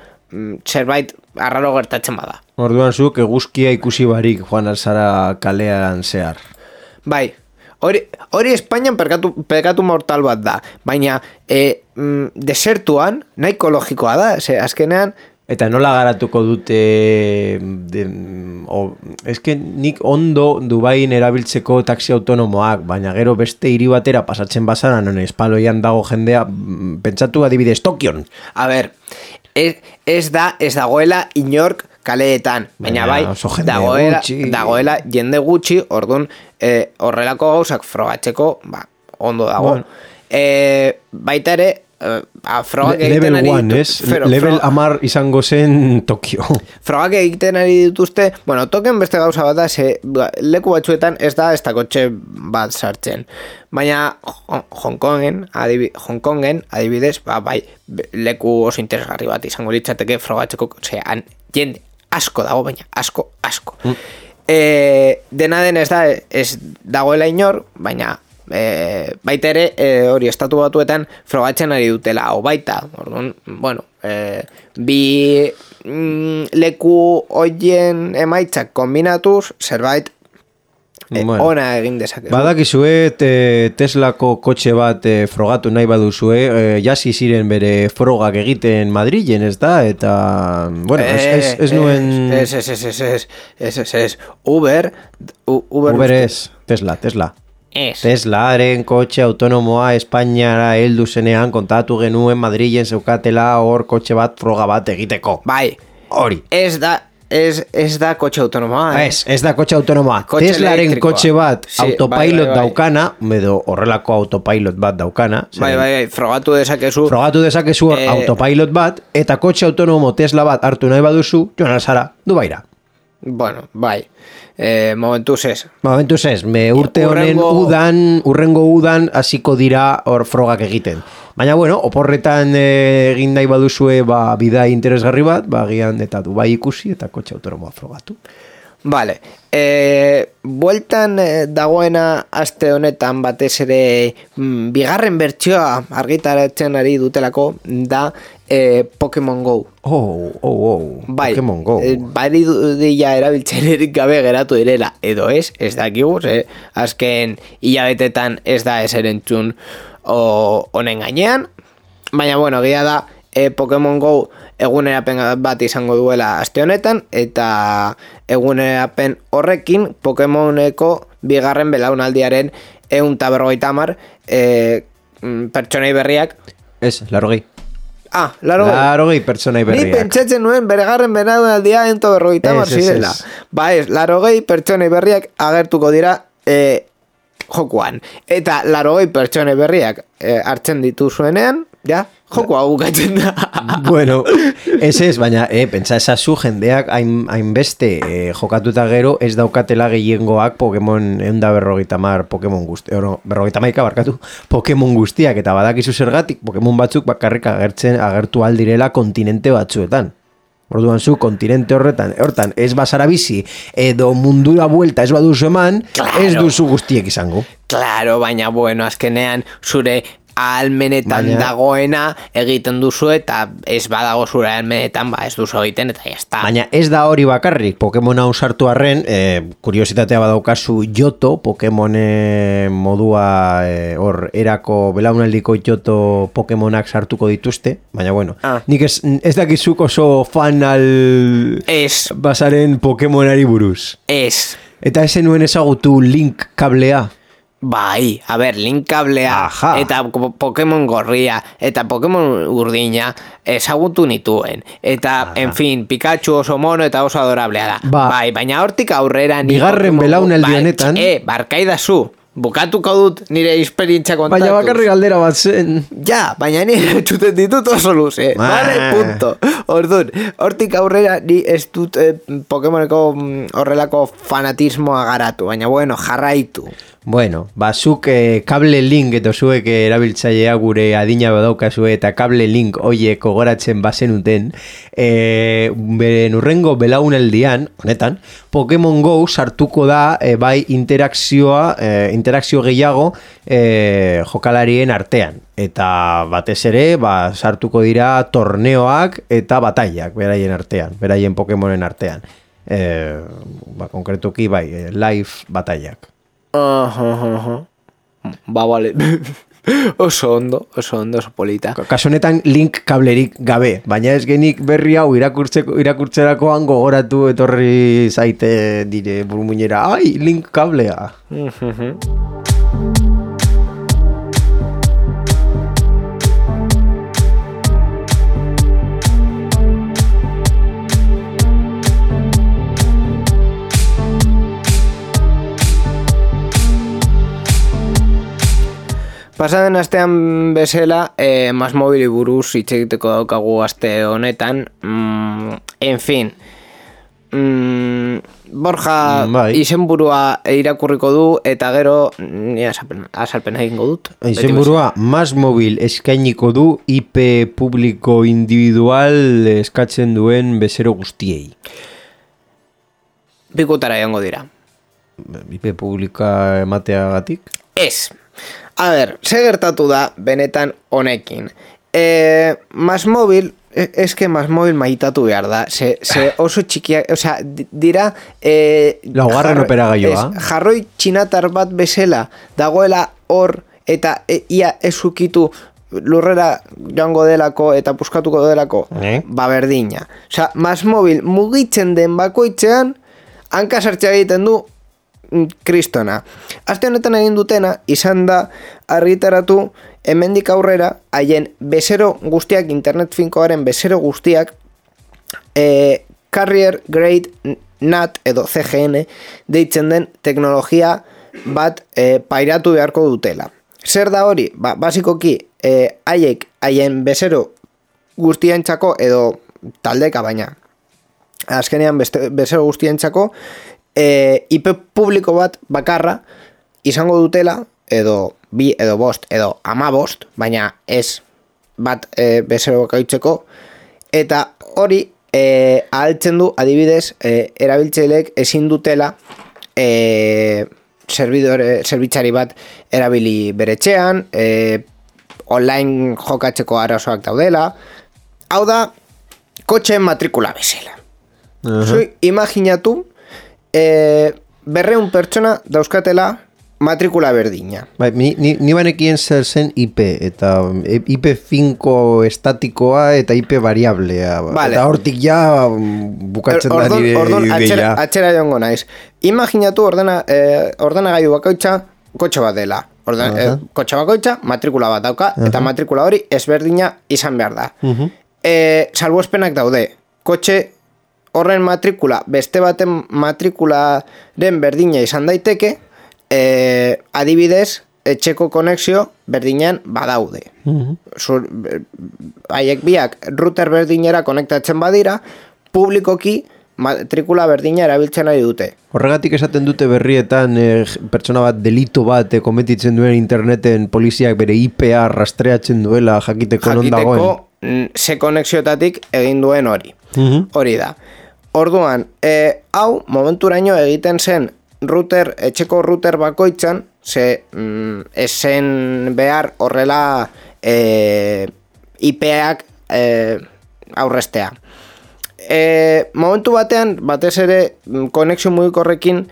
A: zerbait arraro gertatzen bada.
B: Orduan zuk eguzkia ikusi barik joan alzara kalean zehar.
A: Bai, hori, hori Espainian pekatu, pekatu mortal bat da, baina e, mm, desertuan nahiko logikoa da, ze azkenean.
B: Eta nola garatuko dute, de, o, eske nik ondo Dubain erabiltzeko taxi autonomoak, baina gero beste hiri batera pasatzen bazara, non espaloian dago jendea, pentsatu adibidez Tokion.
A: A ber, ez, ez da, ez dagoela inork kaleetan, baina bai, dagoela, dagoela jende gutxi, orduan e, horrelako gauzak frogatzeko, ba, ondo dago. Bueno. E, baita ere, Uh, frogak Le, egiten ari
B: one, ditu, fero, level frog... amar izango zen Tokio.
A: Frogak egiten ari dituzte, bueno, token beste gauza bat da, ze, leku batzuetan ez da ez da kotxe bat sartzen, baina Hong Kongen, adibi, Hong Kongen adibidez, ba, bai, leku oso interesgarri bat izango litzateke frogatzeko, zean, jende asko dago, baina asko, asko. Mm. E, dena den ez da, ez dagoela inor, baina E, baita ere e, hori estatu batuetan frogatzen ari dutela hau baita, orduan, bueno, e, bi mm, leku hoien emaitzak kombinatuz zerbait e, bueno, ona egin dezake.
B: Badakizue te, Teslako kotxe bat e, frogatu nahi baduzue, e, jasi ziren bere frogak egiten Madrilen, ez da? Eta, bueno, ez, ez, ez nuen...
A: Ez, ez, ez, ez, ez, ez, ez, ez, Uber... Uber,
B: Uber ez, Tesla, Tesla.
A: Es.
B: Teslaren kotxe autonomoa Espainiara heldu zenean kontatu genuen Madrilen zeukatela hor kotxe bat froga bat egiteko.
A: Bai.
B: Hori.
A: Ez da, Ez, ez da kotxe autonomoa. Eh?
B: Ez, ez da kotxe autonomoa.
A: Kotxe
B: Teslaren
A: elektrikoa.
B: kotxe bat
A: Sí,
B: autopilot
A: bai, bai, bai.
B: daukana, edo horrelako autopilot bat daukana.
A: Bai, bai, bai, frogatu dezakezu.
B: Frogatu dezakezu hor
A: Eh,
B: autopilot bat, eta kotxe autonomo Tesla bat hartu nahi baduzu, joan alzara, Dubaira.
A: Bueno, bai. Eh, momentuz ez.
B: Momentuz ez, me urte honen
A: Hurrengo-
B: udan, urrengo udan hasiko dira hor frogak egiten. Baina bueno, oporretan eh, egin nahi baduzue ba, bidai interesgarri bat, ba, agian eta Dubai ikusi eta kotxe autonomoa frogatu.
A: Vale. E, bueltan eh, dagoena aste honetan batez ere mm, bigarren bertsioa argitaratzen ari dutelako da eh, Pokemon Go.
B: Oh, oh, oh,
A: Bai,
B: Pokemon Go.
A: eh, bari dira erabiltzailerik gabe geratu direla, edo ez, ez dakigu, ze, azken hilabetetan ez da ezer entzun o, honen gainean, baina bueno, egia da eh, Pokemon Go egunerapen bat izango duela aste honetan, eta egunerapen horrekin Pokemoneko bigarren belaunaldiaren ehun eta berrogeita hamar eh, mm, pertsonei berriak.
B: Ez, larogei.
A: Ah, laro
B: Larogei pertsonai
A: Ni
B: berriak.
A: pentsatzen nuen beregarren belaunaldia ento berrogeita hamar
B: Ez, ez,
A: zirela.
B: ez.
A: Ba ez, larogei pertsonei berriak agertuko dira eh, jokuan. Eta larogei pertsonei berriak eh, hartzen dituzuenean, ja, jokua bukatzen da.
B: Bueno, ez ez, baina, eh, pentsa ezazu jendeak hain, hainbeste eh, jokatuta gero ez daukatela gehiengoak Pokemon eunda berrogeita mar Pokemon guzti, oro, berrogeita maika barkatu, Pokemon guztiak, eta badakizu zergatik Pokemon batzuk bakarrik agertzen agertu aldirela kontinente batzuetan. Orduan zu, kontinente horretan, hortan, ez bazara bizi, edo mundura buelta ez baduzu eman,
A: Claro.
B: ez duzu guztiek izango.
A: Claro, baina bueno, azkenean zure ahalmenetan
B: Baina-
A: dagoena egiten duzu, eta ez badago zure ahalmenetan, ba ez duzu egiten, eta jazta.
B: Baina ez da hori bakarrik, Pokemon hau sartu arren, e, kuriositatea badaukazu Johto, Pokemon e, modua e, hor erako belaunaldiko Johto Pokemonak sartuko dituzte, baina bueno,
A: Ah.
B: nik ez, ez dakizuk oso fan al
A: Ez,
B: bazaren Pokemonari buruz.
A: ez.
B: Eta esen nuen ezagutu Link kablea.
A: Bai, a ber, Link kablea,
B: Aha.
A: eta po- Pokemon gorria, eta Pokemon urdina ezagutu nituen. Eta, en fin, Pikachu oso mono eta oso adorablea da.
B: Ba.
A: Bai, baina hortik aurrera ni
B: Bigarren
A: Pokemon-
B: belaunaldi
A: bai,
B: honetan-
A: E, barkaidazu, bukatuko dut nire esperientzia kontatuz.
B: Baina bakarrik galdera bat zen.
A: Ja, baina ni txuten ditut oso luze.
B: Ba.
A: Vale, punto. Orduan, hortik aurrera ni ez dut eh, Pokemoneko mm, horrelako fanatismoa garatu, baina bueno, jarraitu.
B: Bueno, ba, zuk eh, kable link edo zuek eh, erabiltzailea gure adina badaukazue eta kable link hoiek gogoratzen bazenuten, eh, beren urrengo belaunaldian, honetan, Pokemon Go sartuko da eh, bai interakzioa, eh, interakzio gehiago eh, jokalarien artean. Eta batez ere, ba, sartuko dira torneoak eta batailak beraien artean, beraien Pokemonen artean. Eh, ba, konkretuki bai, eh, live batailak.
A: Aha, aha. Ba, vale. Oso ondo, oso ondo, oso polita.
B: Kasu honetan link kablerik gabe, baina ez genik berri hau irakurtzeko irakurtzerakoan gogoratu etorri zaite dire burmuinera, ai, link kablea.
A: Pasaden astean bezala, eh, Mas Mobili buruz hitz egiteko daukagu aste honetan. Mm, en fin, mm, Borja
B: Bai.
A: izenburua irakurriko du, eta gero ni azalpen, azalpen egingo dut.
B: Izenburua, Mas Mobil eskainiko du I P publiko individual eskatzen duen bezero guztiei.
A: Bikutara joango dira.
B: I P publika emateagatik?
A: Ez. A ber, ze gertatu da benetan honekin. E, Mas Mobil, e, eske Mas Mobil maitatu behar da. Ze, ze oso txikiak, osea, di- dira... E,
B: Laugarren
A: jarroi-
B: operagailoa.
A: ez, Jarroi txinatar bat bezala dagoela hor, eta e, ia ezukitu lurrera joango delako eta puskatuko delako,
B: Eh?
A: ba berdina. Osea, Mas Mobil mugitzen den bakoitzean, hanka sartzea egiten du mm, kristona. Aste honetan egin dutena izan da argitaratu hemendik aurrera haien bezero guztiak, internet finkoaren bezero guztiak, e, Carrier Grade N A T edo C G N deitzen den teknologia bat e, pairatu beharko dutela. Zer da hori? Ba, basikoki, e, haiek, haien bezero guztientzako edo taldeka baina, azkenean beste, bezero guztientzako, e, I P publiko bat bakarra izango dutela, edo bi, edo bost, edo ama bost, baina ez bat e, bezero bakaitzeko, eta hori e, ahaltzen du, adibidez, e, erabiltzaileek ezin dutela e, servidore, zerbitzari bat erabili beretxean, e, online jokatzeko arazoak daudela, hau da, kotxeen matrikula bezala. Uh-huh. Zui, imaginatu, e, berreun pertsona dauzkatela matrikula berdina.
B: Bai, ni, ni, ni banekien zer zen I P, eta I P finko estatikoa eta I P variablea. Vale. Eta hortik ja bukatzen
A: ordon,
B: da nire
A: ordon,
B: ideia.
A: Atxera, atxera joango naiz. Imaginatu ordena, eh, ordenagailu bakoitza kotxe bat dela. Orden, uh-huh. eh, kotxe bakoitza matrikula bat dauka, uh-huh. eta matrikula hori ezberdina izan behar da. Uh-huh. eh, salbuespenak daude. Kotxe horren matrikula, beste baten matrikularen berdina izan daiteke, E, adibidez, etxeko konexio berdinean badaude. Uh-huh. Zur, haiek biak router berdinera konektatzen badira, publikoki matrikula berdina erabiltzen ari dute.
B: Horregatik esaten dute berrietan eh, pertsona bat delito bat eh, kometitzen duen interneten poliziak bere I P A rastreatzen duela jakiteko, non dagoen.
A: Jakiteko ze konexiotatik egin duen hori. Uh-huh. Hori da. Orduan, eh, hau momenturaino egiten zen router, etxeko router bakoitzan, ze mm, esen behar horrela e, I P-ak e, aurrestea. E, momentu batean, batez ere, konexio mugikorrekin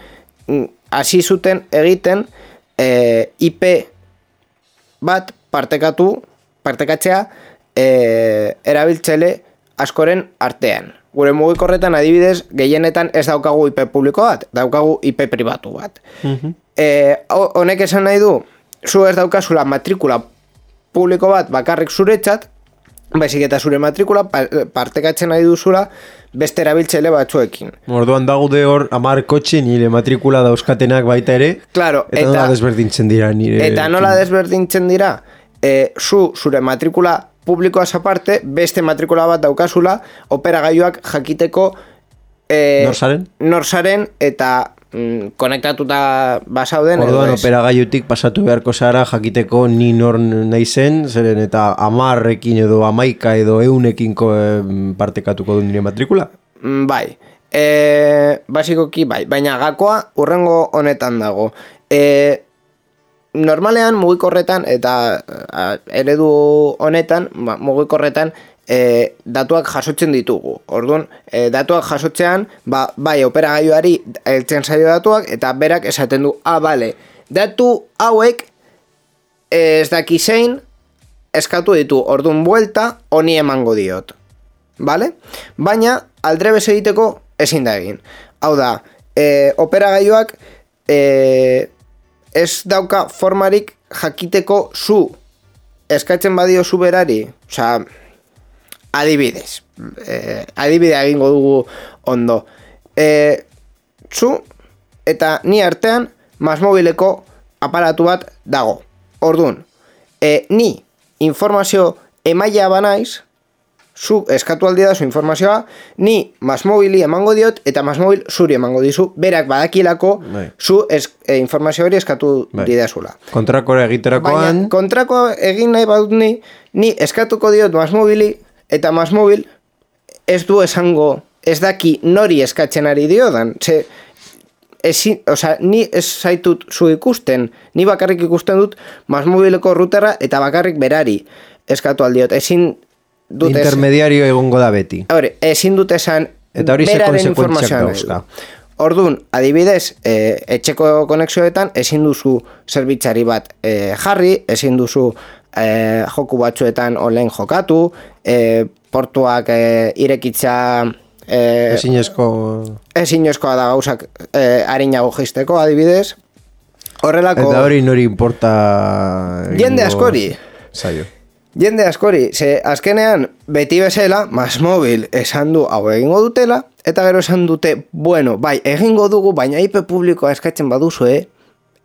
A: hasi zuten egiten e, I P bat partekatu, partekatzea e, erabiltzele askoren artean. Gure mugikorretan adibidez, gehienetan ez daukagu I P publiko bat, daukagu I P pribatu bat. Uh-huh. E, honek esan nahi du, zu ez daukazula matrikula publiko bat bakarrik zuretzat, baizik eta zure matrikula partekatzen nahi duzula beste erabiltzaile batzuekin.
B: Orduan daude hor hamar kotxe nire matrikula dauzkatenak baita ere,
A: claro,
B: eta, eta nola desberdintzen dira nire...
A: Eta nola desberdintzen dira, e, zu zure matrikula publikoaz aparte, beste matrikula bat daukazula, operagailuak jakiteko e,
B: norsaren?
A: norsaren eta mm, konektatuta basauden.
B: Orduan operagailutik pasatu beharko zara jakiteko ni nor naizen, zeren eta amarrekin edo amaika edo eunekin partekatuko du nire matrikula?
A: Mm, bai, e, basikoki bai, baina gakoa urrengo honetan dago. E, Normalean mugikorretan eta a, eredu honetan, mugikorretan e, datuak jasotzen ditugu. Orduan, e, datuak jasotzean, ba, bai operagailuari heltzen zaio datuak eta berak esaten du, ah, bale, datu hauek ez daki zein eskatu ditu, orduan buelta honi emango diot. Bale? Baina, aldrebes egiteko ezin da egin. Hau da, e, operagailuak e, ez dauka formarik jakiteko zu eskatzen badio zu berari, osea, adibidez, eh, adibidea egingo dugu ondo. Eh, zu eta ni artean Masmobileko aparatu bat dago. Orduan, eh, ni informazio emailea banaiz, zu eskatu aldi da zu informazioa, ni Masmobili emango diot eta Masmobil zuri emango dizu, berak badakilako bai. Zu es, e, informazio hori eskatu bai. Didazula.
B: Kontrakoa egiterakoan...
A: Baina kontrakoa egin nahi badut ni, ni eskatuko diot Masmobili eta Masmobil ez du esango, ez daki nori eskatzen ari diodan, ze... Ezi, oza, ni ez zaitut zu ikusten, ni bakarrik ikusten dut Masmobileko routerra eta bakarrik berari eskatu aldiot, ezin dut
B: intermediario egongo da beti.
A: Hore, ezin dut esan
B: eta hori ze konsekuentziak dauzka.
A: Orduan, adibidez, e, etxeko konexioetan ezin duzu zerbitzari bat e, jarri, ezin duzu e, joku batzuetan online jokatu, e, portuak e, irekitza e,
B: ezinezko
A: ezinezkoa da gauzak e, harinago jisteko, adibidez. Horrelako...
B: Eta hori nori importa...
A: Jende askori.
B: Zaio.
A: Jende askori, ze azkenean beti bezala, Masmobil esan du hau egingo dutela, eta gero esan dute, bueno, bai, egingo dugu, baina I P publikoa eskatzen baduzue,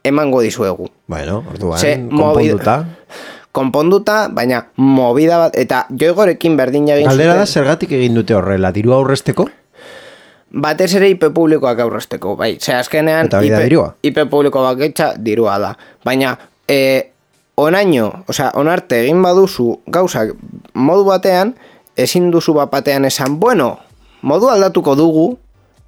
A: emango dizuegu.
B: Bueno, orduan, ze, konponduta.
A: Konponduta, baina movida bat, eta joigorekin berdin egin zuten.
B: Galdera da, zergatik egin dute horrela, dirua aurrezteko?
A: Batez ere I P publikoak aurrezteko, bai. Ze azkenean,
B: eta bida dirua?
A: I P publiko baketxa dirua da. Baina, e, onaino, osea, onarte egin baduzu gauzak modu batean, ezin duzu bat batean esan, bueno, modu aldatuko dugu,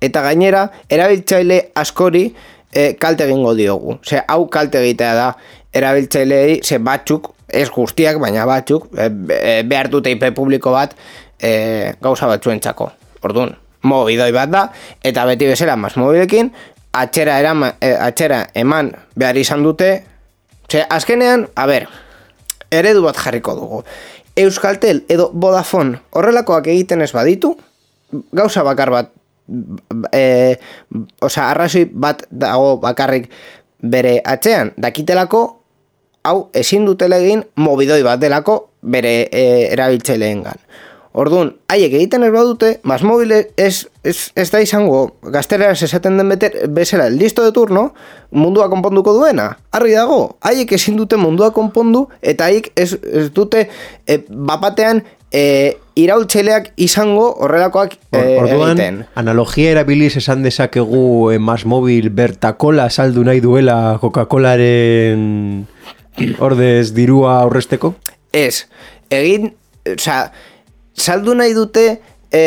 A: eta gainera, erabiltzaile askori e, kalte egingo diogu. Ze, hau kalte egitea da, erabiltzaileei, ze batzuk, ez guztiak, baina batzuk, e, e, behar dute I P publiko bat e, gauza batzuentzako. Orduan, mobidoi bat da, eta beti bezala Masmobilekin, atxera, erama, e, atxera eman behar izan dute. Ze, azkenean, a ber, eredu bat jarriko dugu. Euskaltel edo Vodafone horrelakoak egiten ez baditu, gauza bakar bat, e, oza, arrazoi bat dago bakarrik bere atzean, dakitelako, hau ezin dutela egin mobidoi bat delako bere e, erabiltzaileengan. Orduan, haiek egiten ez badute, Masmobil ez, ez, ez da izango gaztereraz esaten den beter, bezala listo de turno, mundua konponduko duena. Argi dago, haiek ezin dute mundua konpondu, eta haiek ez, ez dute e, bapatean e, iraultzaileak izango horrelakoak e,
B: Orduan,
A: egiten.
B: Analogia erabiliz esan dezakegu e, Masmobil bertakola saldu nahi duela Coca-Colaren ordez dirua aurrezteko?
A: Ez, egin, oza, saldu nahi dute e,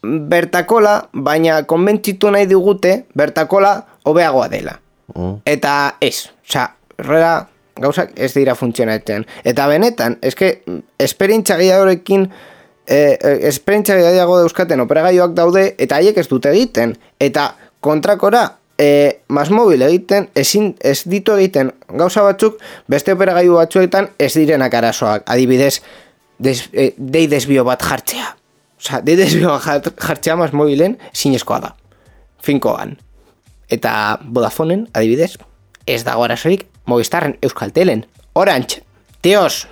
A: bertakola, baina konbentzitu nahi digute bertakola hobeagoa dela. Oh. Eta ez, oza, horrela gauzak ez dira funtzionatzen. Eta benetan, eske, esperientzia gehiagorekin, e, esperientzia gehiago dauzkaten operagailuak daude, eta haiek ez dute egiten. Eta kontrakora, e, Masmobil egiten, ezin, ez ditu egiten gauza batzuk, beste operagailu batzuetan ez direnak arazoak. Adibidez, Des, eh, dei desbio bat jartzea. Osa, dei desbio bat jartzea Masmobilen zinezkoa da. Finkoan. Eta Vodafoneen, adibidez, ez dago arazorik Movistarren, Euskaltelen, Orange, tios,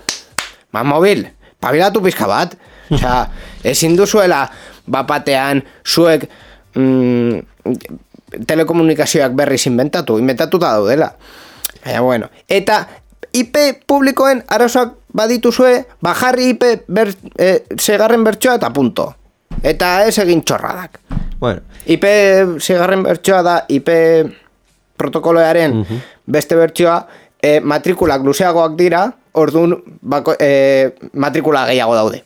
A: Masmobil, pabilatu pizka bat. Osa, ezin duzuela bapatean zuek mm, telekomunikazioak berriz inventatu, inventatuta daudela. Baina, bueno, eta I P publikoen arazoak badituzue, bajarri I P ber, e, segarren bertsoa eta punto. Eta ez egin txorradak. Bueno. I P segarren bertsoa da I P protokoloaren uh-huh. beste bertsoa, e, matrikulak luzeagoak dira, orduan bako, e, matrikula gehiago daude.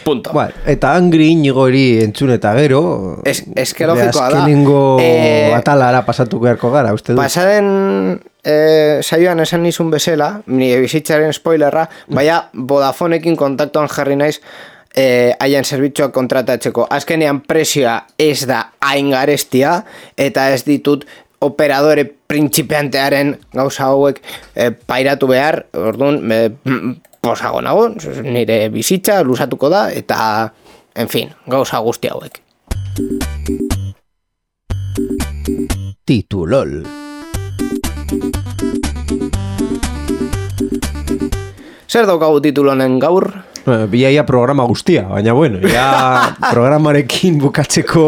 A: Punto. Bueno,
B: eta angri inigori entzun eta gero,
A: es, es que logikoa da.
B: Azkenengo e, atalara pasatu beharko gara, uste du?
A: Pasaren e, saioan esan nizun bezala, nire bizitzaren spoilerra, baina Vodafoneekin kontaktuan jarri naiz e, haien zerbitzuak kontratatzeko. Azkenean presioa ez da hain garestia, eta ez ditut operadore printzipiantearen gauza hauek e, pairatu behar, orduan, e, posago nago, nire bizitza luzatuko da, eta, en fin, gauza guzti hauek.
B: Titulol.
A: Zer daukagu titulonen gaur?
B: Biaia programa guztia, baina bueno, ja programarekin bukatzeko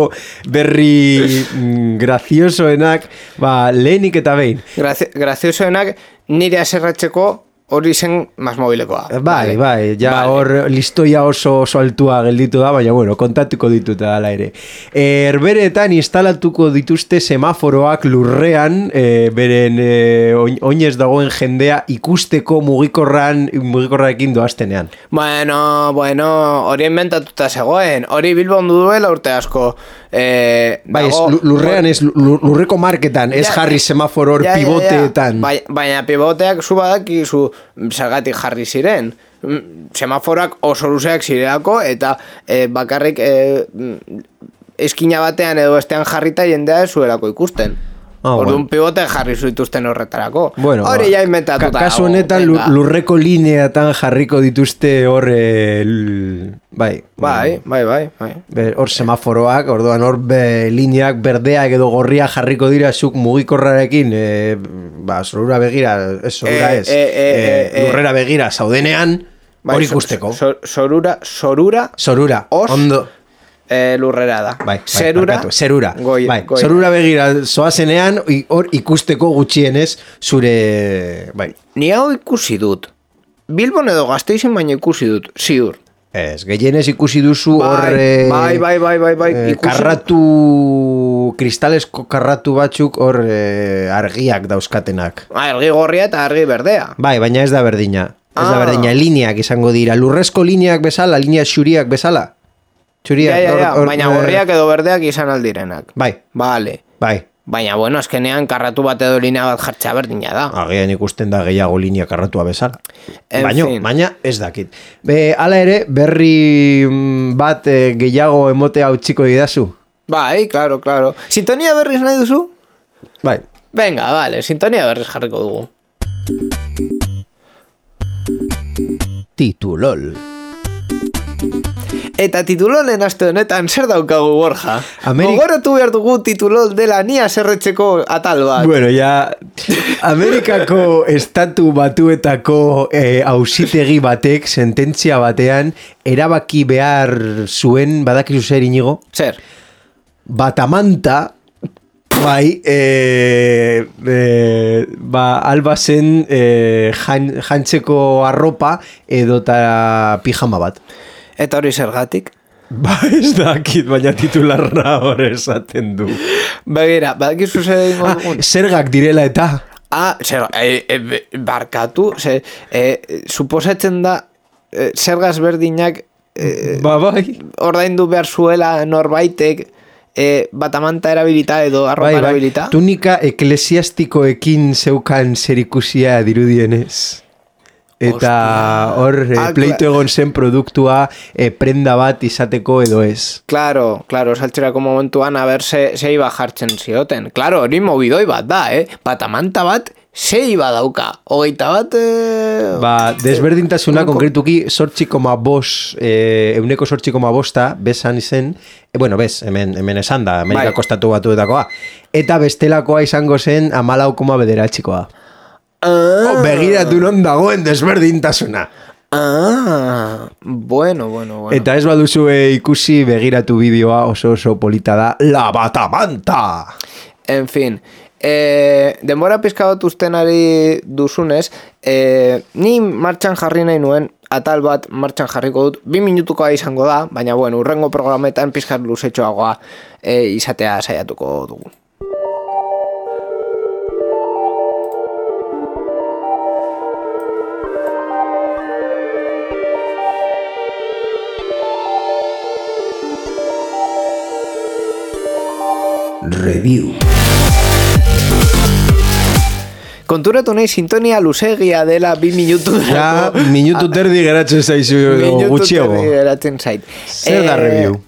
B: berri mm, graziosoenak, ba, lehenik eta behin.
A: Grazi, graziosoenak nire aserratzeko hori zen Masmobilekoa.
B: Bai, bai, ja hor vale. Listoia oso, oso altua gelditu da, baina bueno, kontatuko ditut ala ere. Herberetan instalatuko dituzte semaforoak lurrean, e, beren e, oinez dagoen jendea ikusteko mugikorran, mugikorrarekin doaztenean.
A: Bueno, bueno, hori inventatuta zegoen, hori Bilbon duela urte asko. E,
B: bai, dago, ez, lurrean ez, lurreko marketan, ez ja, jarri semaforo hor ja, pivoteetan.
A: Ja, ja. Baina pivoteak zu badakizu zergatik jarri ziren. Semaforak oso luzeak zirelako eta e, bakarrik e, eskina batean edo bestean jarrita jendea ez zuelako ikusten. Ah, orduan bueno. Pivote jarri zuituzten horretarako. Bueno, hori ja inventatuta.
B: Ka kasu honetan lurreko lineatan jarriko dituzte hor e, l... bai.
A: Bai, bai, bai, bai.
B: Hor semaforoak, orduan hor be, lineak berdeak edo gorria jarriko dira zuk mugikorrarekin, e, ba, zorura begira, ez zorura ez, e, e, e, e, lurrera begira zaudenean, hori ikusteko.
A: Zorura, zorura,
B: zorura,
A: os,
B: ondo.
A: E, lurrera da.
B: Bai, bai,
A: zerura,
B: barkatu, zerura.
A: Goi,
B: bai,
A: goi.
B: Zerura begira zoazenean, hor ikusteko gutxienez zure... Bai.
A: Ni hau ikusi dut. Bilbon edo Gasteizen baina ikusi dut, ziur.
B: Ez, gehienez ikusi duzu hor...
A: Bai, bai, bai, bai, bai.
B: Eh, karratu, kristalesko karratu batzuk hor eh, argiak dauzkatenak.
A: Argi gorria eta argi berdea.
B: Bai, baina ez da berdina. Ez
A: ah.
B: da berdina, lineak izango dira. Lurrezko lineak bezala, linea xuriak bezala. Xuriak,
A: ja, ja, ja.
B: Or, or,
A: baina gorriak edo berdeak izan aldirenak.
B: Bai.
A: Vale.
B: Bai.
A: Baina, bueno, azkenean karratu bat edo linea bat jartzea berdina da.
B: Agian ikusten da gehiago linea karratua bezala.
A: En
B: Baina,
A: fin.
B: baina ez dakit. Be, hala ere, berri bat eh, gehiago emotea utziko didazu.
A: Bai, claro, claro. Sintonia berriz nahi duzu?
B: Bai.
A: Venga, vale, sintonia berriz jarriko dugu.
B: Titulol.
A: Eta titulolen aste honetan zer daukagu, Borja?
B: Ameri...
A: Gogoratu behar dugu titulol dela nia zerretzeko atal bat.
B: Bueno, ya Amerikako estatu batuetako eh, auzitegi batek, sententzia batean, erabaki behar zuen, badakizu zer inigo?
A: Zer?
B: Batamanta, bai, e, e, ba, alba zen e, jan, jantzeko arropa edota pijama bat.
A: Eta hori zergatik?
B: Ba, ez dakit, baina titularra hori esaten du.
A: Begira, badakizu zer egingo
B: ah,
A: dugun?
B: Zergak direla eta?
A: Ah, zer, e, e, barkatu, zer, e, suposatzen da, e, zergaz berdinak e,
B: ba, bai.
A: ordaindu behar zuela norbaitek e, batamanta erabilita edo arropa
B: bai, bai.
A: erabilita.
B: Tunika eklesiastikoekin zeukan zerikusia dirudienez. Eta hor e,
A: ah,
B: pleitu egon zen produktua e, prenda bat izateko edo ez.
A: Claro, claro, saltzerako momentuan haber ze, ze iba jartzen zioten. Claro, hori mobidoi bat da, eh? Batamanta bat ze iba dauka. Hogeita bat... Eh,
B: ba, desberdintasuna
A: eh,
B: konkretuki sortzi koma bos, eh, euneko sortzi koma bosta bezan izen, eh, bueno, bez, hemen, hemen esan da, Amerikako estatu batuetakoa. Eta bestelakoa izango zen amalau koma bederatxikoa.
A: Ah.
B: Oh, begiratu non dagoen desberdintasuna.
A: Ah, bueno, bueno, bueno.
B: Eta ez baduzue ikusi begiratu bideoa oso oso polita da, La Batamanta!
A: En fin, eh, denbora pizka bat usten ari duzunez, eh, ni martxan jarri nahi nuen, atal bat martxan jarriko dut, bi minutukoa izango da, baina bueno, urrengo programetan pizkat luzetxoagoa eh, izatea saiatuko dugu.
B: Review.
A: Konturatu nahi sintonia luzegia dela bi minutu.
B: Ja, minutu terdi geratzen zaizu gutxiago.
A: Minutu terdi geratzen zait.
B: Zer da review?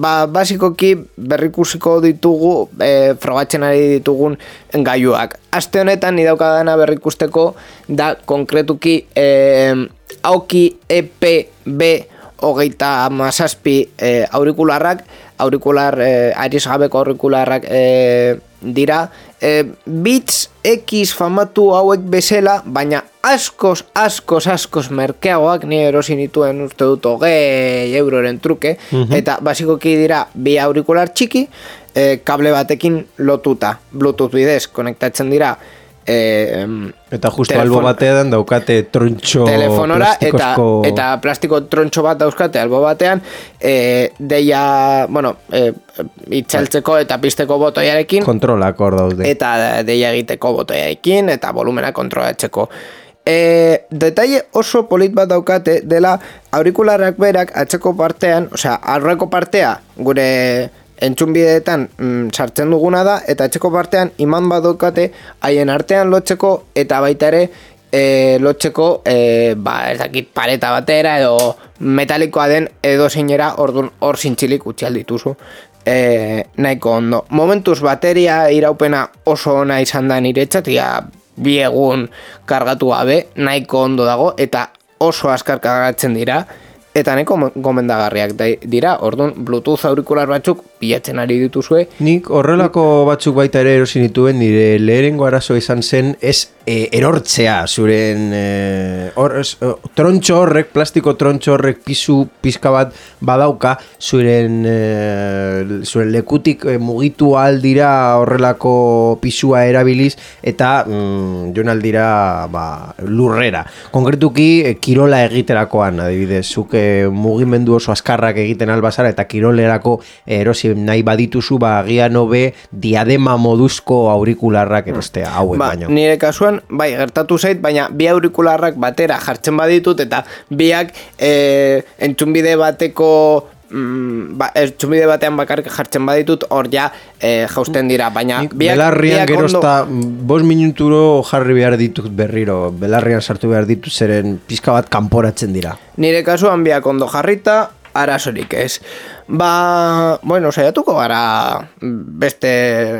A: Ba, basikoki berrikusiko ditugu, e, frogatzen ari ditugun gaiuak. Aste honetan nidaukadana berrikusteko da konkretuki e, Aoki E P B hogeita mazazpi e, aurikularrak, aurikular, e, arizgabeko aurikularrak e, dira, e, Beats X famatu hauek bezala, baina askoz, askoz, askoz merkeagoak, ni erosi nituen uste dut hogei euroren truke, mm-hmm. eta basikoki dira bi aurikular txiki, e, kable batekin lotuta, Bluetooth bidez konektatzen dira, E,
B: eta justo albo batean daukate trontxo
A: telefonora eta,
B: plastikosko...
A: eta plastiko trontxo bat dauzkate albo batean e, deia, bueno e, itxaltzeko eta pizteko botoiarekin
B: kontrolak hor daude
A: eta deia egiteko botoiarekin eta volumena kontrolatzeko. E, detaile oso polit bat daukate dela aurikularrak berak atzeko partean, osea aurreko partea gure entzunbideetan mm, sartzen duguna da, eta etxeko partean iman bat daukate haien artean lotzeko, eta baita ere e, lotzeko e, ba, ez dakit pareta batera edo metalikoa den edo zeinera ordun hor zintzilik utzi aldituzu e, nahiko ondo. Momentuz bateria iraupena oso ona izan da niretzat, ia bi egun kargatu gabe, nahiko ondo dago, eta oso azkar kargatzen dira. eta neko gomendagarriak dira. Orduan, Bluetooth aurikular batzuk bilatzen ari dituzue.
B: Nik horrelako batzuk baita ere erosi nituen, nire leherengo arazo izan zen ez e, erortzea zuren e, or, es, o, trontxo horrek, plastiko trontxo horrek pisu pizka bat badauka zuren, e, zuren lekutik e, mugitu aldira horrelako pisua erabiliz eta mm, joan aldira ba, lurrera. Konkretuki e, kirola egiterakoan, adibidez, zuk e, mugimendu oso azkarrak egiten albazara eta kirolerako erosi nahi badituzu, ba, agian hobe diadema moduzko aurikularrak erostea hauek
A: ba,
B: baino.
A: Nire kasuan, bai, gertatu zait, baina bi aurikularrak batera jartzen baditut eta biak e, entzunbide bateko mm, ba, entzunbide batean bakarrik jartzen baditut hor ja e, jausten dira, baina
B: Nik
A: biak,
B: belarrian
A: biak
B: gerozta bost minuturo jarri behar ditut berriro, belarrian sartu behar ditut zeren pizka bat kanporatzen dira.
A: Nire kasuan biak ondo jarrita, arazorik ez. Ba, bueno, saiatuko gara beste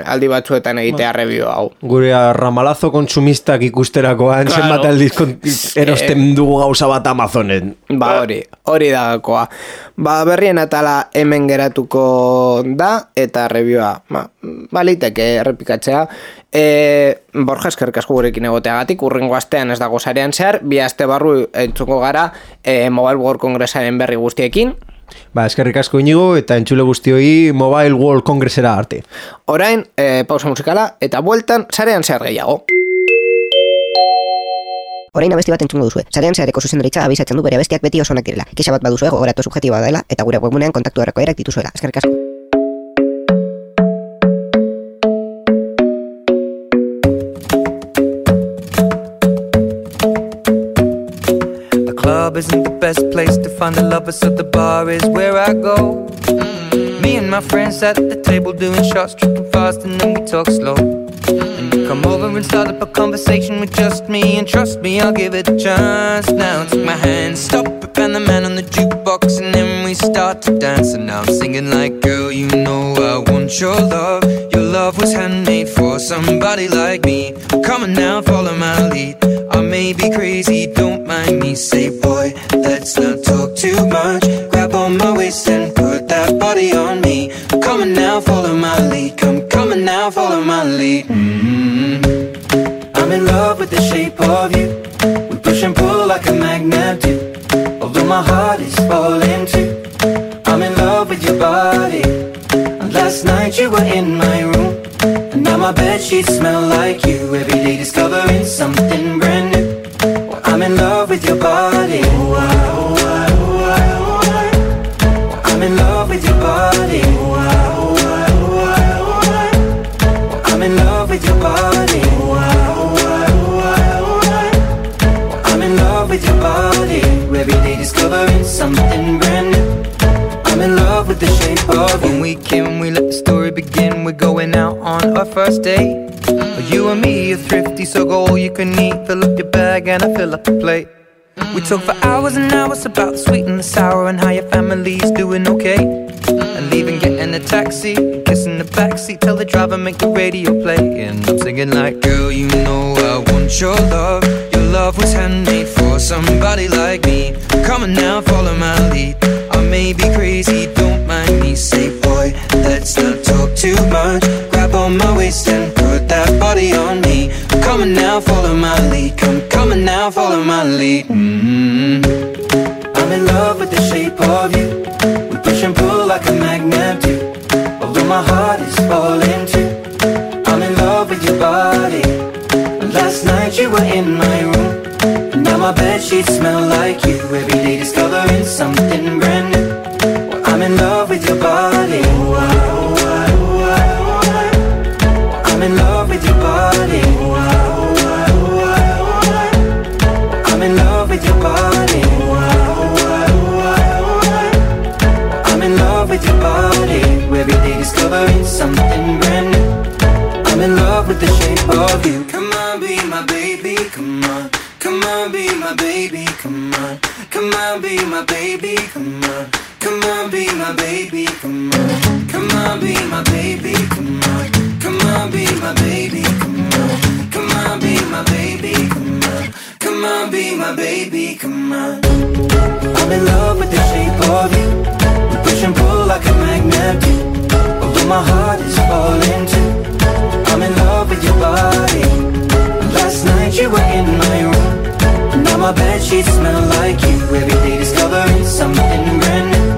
A: aldi batzuetan egitea ba, review hau.
B: Gure ramalazo konsumistak ikusterakoan, claro. Zenbat aldiz erosten dugu gauza bat Amazonen.
A: Ba, hori, hori dagakoa. Ba, berrien atala hemen geratuko da, eta reviewa, ba, baliteke errepikatzea. E, Borja, eskerrik asko gurekin egoteagatik, urrengo astean ez dago sarean zehar, bi aste barru entzuko gara e, Mobile World Congressaren berri guztiekin.
B: Ba, eskerrik asko Inigo eta entzule guztioi Mobile World Congressera arte.
A: Orain, e, pausa musikala eta bueltan sarean zehar gehiago.
C: Orain abesti bat entzungo duzue. Sarean zehareko zuzendaritza abisatzen du bere abestiak beti oso onak direla. Kexa bat baduzue gogoratu subjektiboa dela eta gure webgunean kontaktu erreko erak dituzuela. Eskerrik asko.
D: Isn't the best place to find the lovers, so the bar is where I go. Mm-hmm. Me and my friends at the table doing shots, tripping fast, and then we talk slow. Mm-hmm. And you come over and start up a conversation with just me, and trust me, I'll give it a chance. Now take my hand, stop it, and the man on the jukebox, and then we start to dance. And now I'm singing like, girl, you know I want your love. Your love was handmade for somebody like me. Come on now, follow my lead. I may be crazy, don't mind me. Say, boy, let's not talk too much. Grab on my waist and put that body on me. Come on now, follow my lead. Come, come on now, follow my lead. Mm-hmm. I'm in love with the shape of you. We push and pull like a magnet do. Although my heart is falling too. I'm in love with your body. And last night you were in my room. And now my bedsheets smell like you. Every day discovering something brand new. Well, I'm in love with your body. Oh, I, oh, I, oh, I, oh, I. Well, I'm in love with your body. Oh, I, oh, I, oh, I, oh, I. Well, I'm in love with your body. Oh, I, oh, I, oh, I, oh, I. Well, I'm in love with your body. Every day discovering something brand new. I'm in love with the shape of you. When we came, we let the story begin. We're going out on our first date. You and me are thrifty, so go all you can eat. Fill up your bag and I fill up the plate. We talk for hours and hours about the sweet and the sour and how your family's doing okay. And leaving, getting a taxi, kissing the backseat, tell the driver make the radio play. And I'm singing like, girl, you know I want your love. Your love was handmade for somebody like me. Come on now, follow my lead. I may be crazy, don't mind me. Say, boy, let's not talk too much. Grab on my waist and put that body on me. Come on now, follow my lead. Come, come on now, follow my lead. Mm-hmm. I'm in love with the shape of you. We push and pull like a magnet do. Although my heart is falling too. I'm in love with your body. Last night you were in my room. And now my bedsheets smell like you. Every day discovering something brand new. Well, I'm in love with your body. Oh, I, oh, I, oh, I, oh, I. I'm in love with your body. Oh, I, oh, I, oh, I, oh, I. I'm in love with your body. Oh, I, oh, I, oh, I, oh, I. I'm in love with your body. Every day discovering something brand new. I'm in love with the shape of you. Come on, be my baby, come on. Come on, be my baby, come on. Come on, be my baby, come on. Come on, be my baby, come on. Come on, be my baby, come on. Come on, be my baby, come on. Come on, be my baby, come on. Come Come on, be my baby, come on. I'm in love with the shape of you. We push and pull like a magnet do. Although my heart is falling too. I'm in love with your body. Last night you were in my room. Now my bedsheets smell like you. Every day discovering something brand new.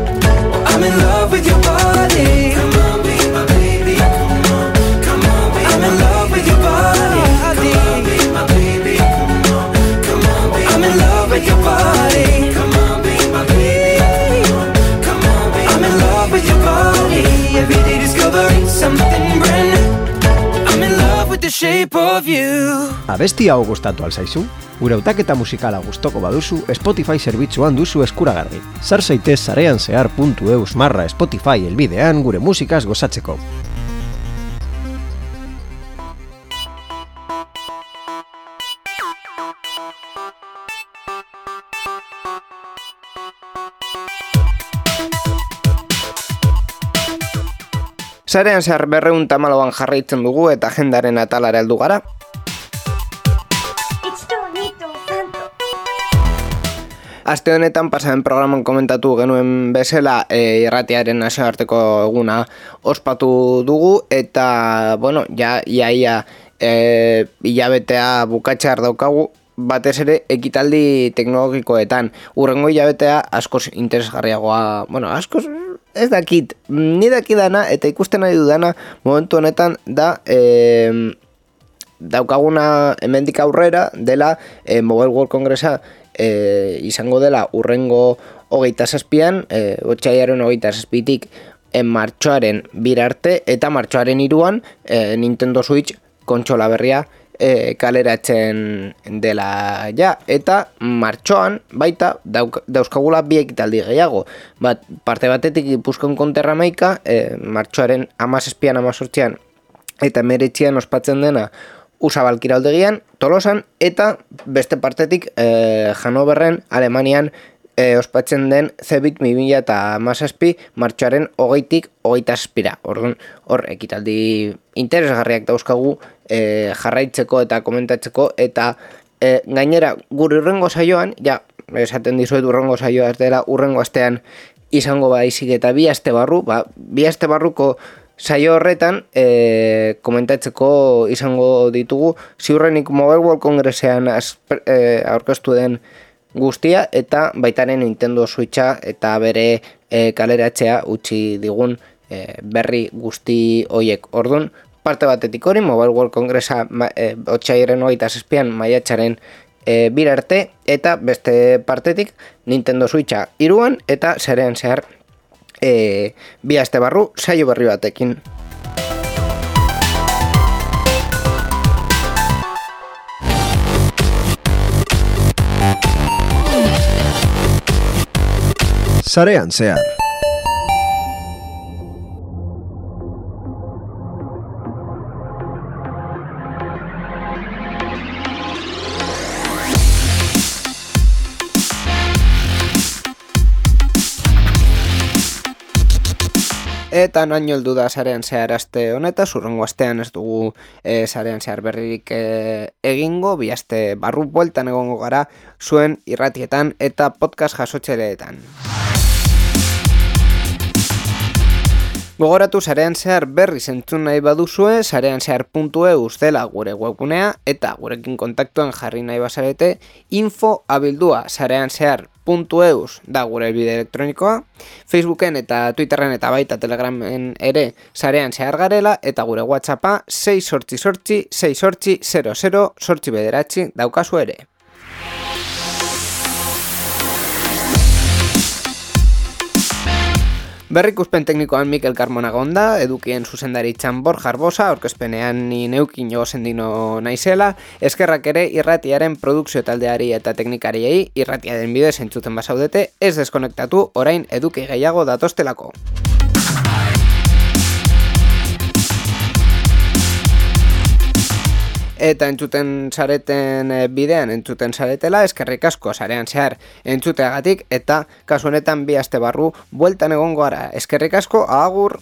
D: I'm in love with your body. Come on, be my baby, come on. Come on, be I'm in love with your body. Come on, be my baby, come on. Come on, be I'm in love with your body. Come on, be my baby, come on. Come on, be I'm in love with your body. Every day discovering something brand new. I'm in love with the shape of you.
B: Abesti hau gustatu alzaizu? Gure hautaketa musikala gustoko baduzu, Spotify zerbitzuan duzu eskuragarri. Sar zaitez sarean zehar puntu eus marra Spotify elbidean gure musikaz gozatzeko.
A: Sarean zehar berreun tamaloan jarraitzen dugu eta agendaren atalara heldu gara. Aste honetan pasaren programan komentatu genuen bezala e, irratiaren nazioarteko eguna ospatu dugu eta, bueno, ja, iaia e, hilabetea bukatxear daukagu, batez ere ekitaldi teknologikoetan. Urrengo hilabetea askoz interesgarriagoa, bueno, askoz ez dakit, ni dakidana eta ikusten nahi dudana momentu honetan da e, daukaguna hemendik aurrera dela e, Mobile World Congressa e, izango dela urrengo hogeita zazpian, e, otsailaren hogeita zazpitik e, martxoaren birarte eta martxoaren hiruan e, Nintendo Switch kontsola berria e, kaleratzen dela ja, eta martxoan baita dauk, dauzkagula bi ekitaldi gehiago. Bat, parte batetik Gipuzkoan konterra maika, e, martxoaren hamazazpian hamazortzian eta hemeretzian ospatzen dena Usabalkiraldegian, Tolosan, eta beste partetik e, Hanoverren, Alemanian e, ospatzen den Cebit bi mila hamazazpi martxoaren hogeitik hogeita zazpira. Orduan, hor ekitaldi interesgarriak dauzkagu e, jarraitzeko eta komentatzeko, eta e, gainera gure urrengo saioan, ja, esaten dizuet urrengo saioa ez dela urrengo astean izango baizik eta bi aste barru, ba, bi aste barruko saio horretan e, komentatzeko izango ditugu ziurrenik Mobile World Congressean e, aurkeztu den guztia eta baitaren Nintendo Switcha eta bere e, kaleratzea utzi digun e, berri guzti hoiek. Orduan, parte batetik hori Mobile World Congressa e, otsailaren hogeita zazpian maiatzaren e, birarte eta beste partetik Nintendo Switcha hiruan eta sarean zehar E, bi aste barru saio berri batekin.
B: Sarean zehar.
A: Eta naino heldu da sarean zehar aste honetaz, urrengo astean ez dugu e, sarean zehar berririk e, egingo, bi aste barru bueltan egongo gara zuen irratietan eta podcast jasotzeleetan. Gogoratu sarean zehar berri zentzun nahi baduzue, sarean zehar puntu eus dela gure webgunea eta gurekin kontaktuan jarri nahi bazarete, info abildua sarean zehar puntu eus da gure elbide elektronikoa, Facebooken eta Twitterren eta baita Telegramen ere sarean zehar garela, eta gure WhatsAppa sei sortzi sortzi sei sortzi zero zero sortzi bederatzi daukazu ere. Berrikuspen teknikoan Mikel Carmona gonda, edukien zuzendaritzan Borja Arbosa, aurkezpenean ni neukin jogosendino naizela, eskerrak ere irratiaren produkzio taldeari eta teknikariei irratiaren bidez entzuten basaudete, ez deskonektatu orain eduki gehiago datostelako. Eta entzuten zareten bidean entzuten zaretela, eskerrik asko sarean zehar entzuteagatik, eta kasu honetan bi aste barru bueltan egongo gara. Eskerrik asko, agur!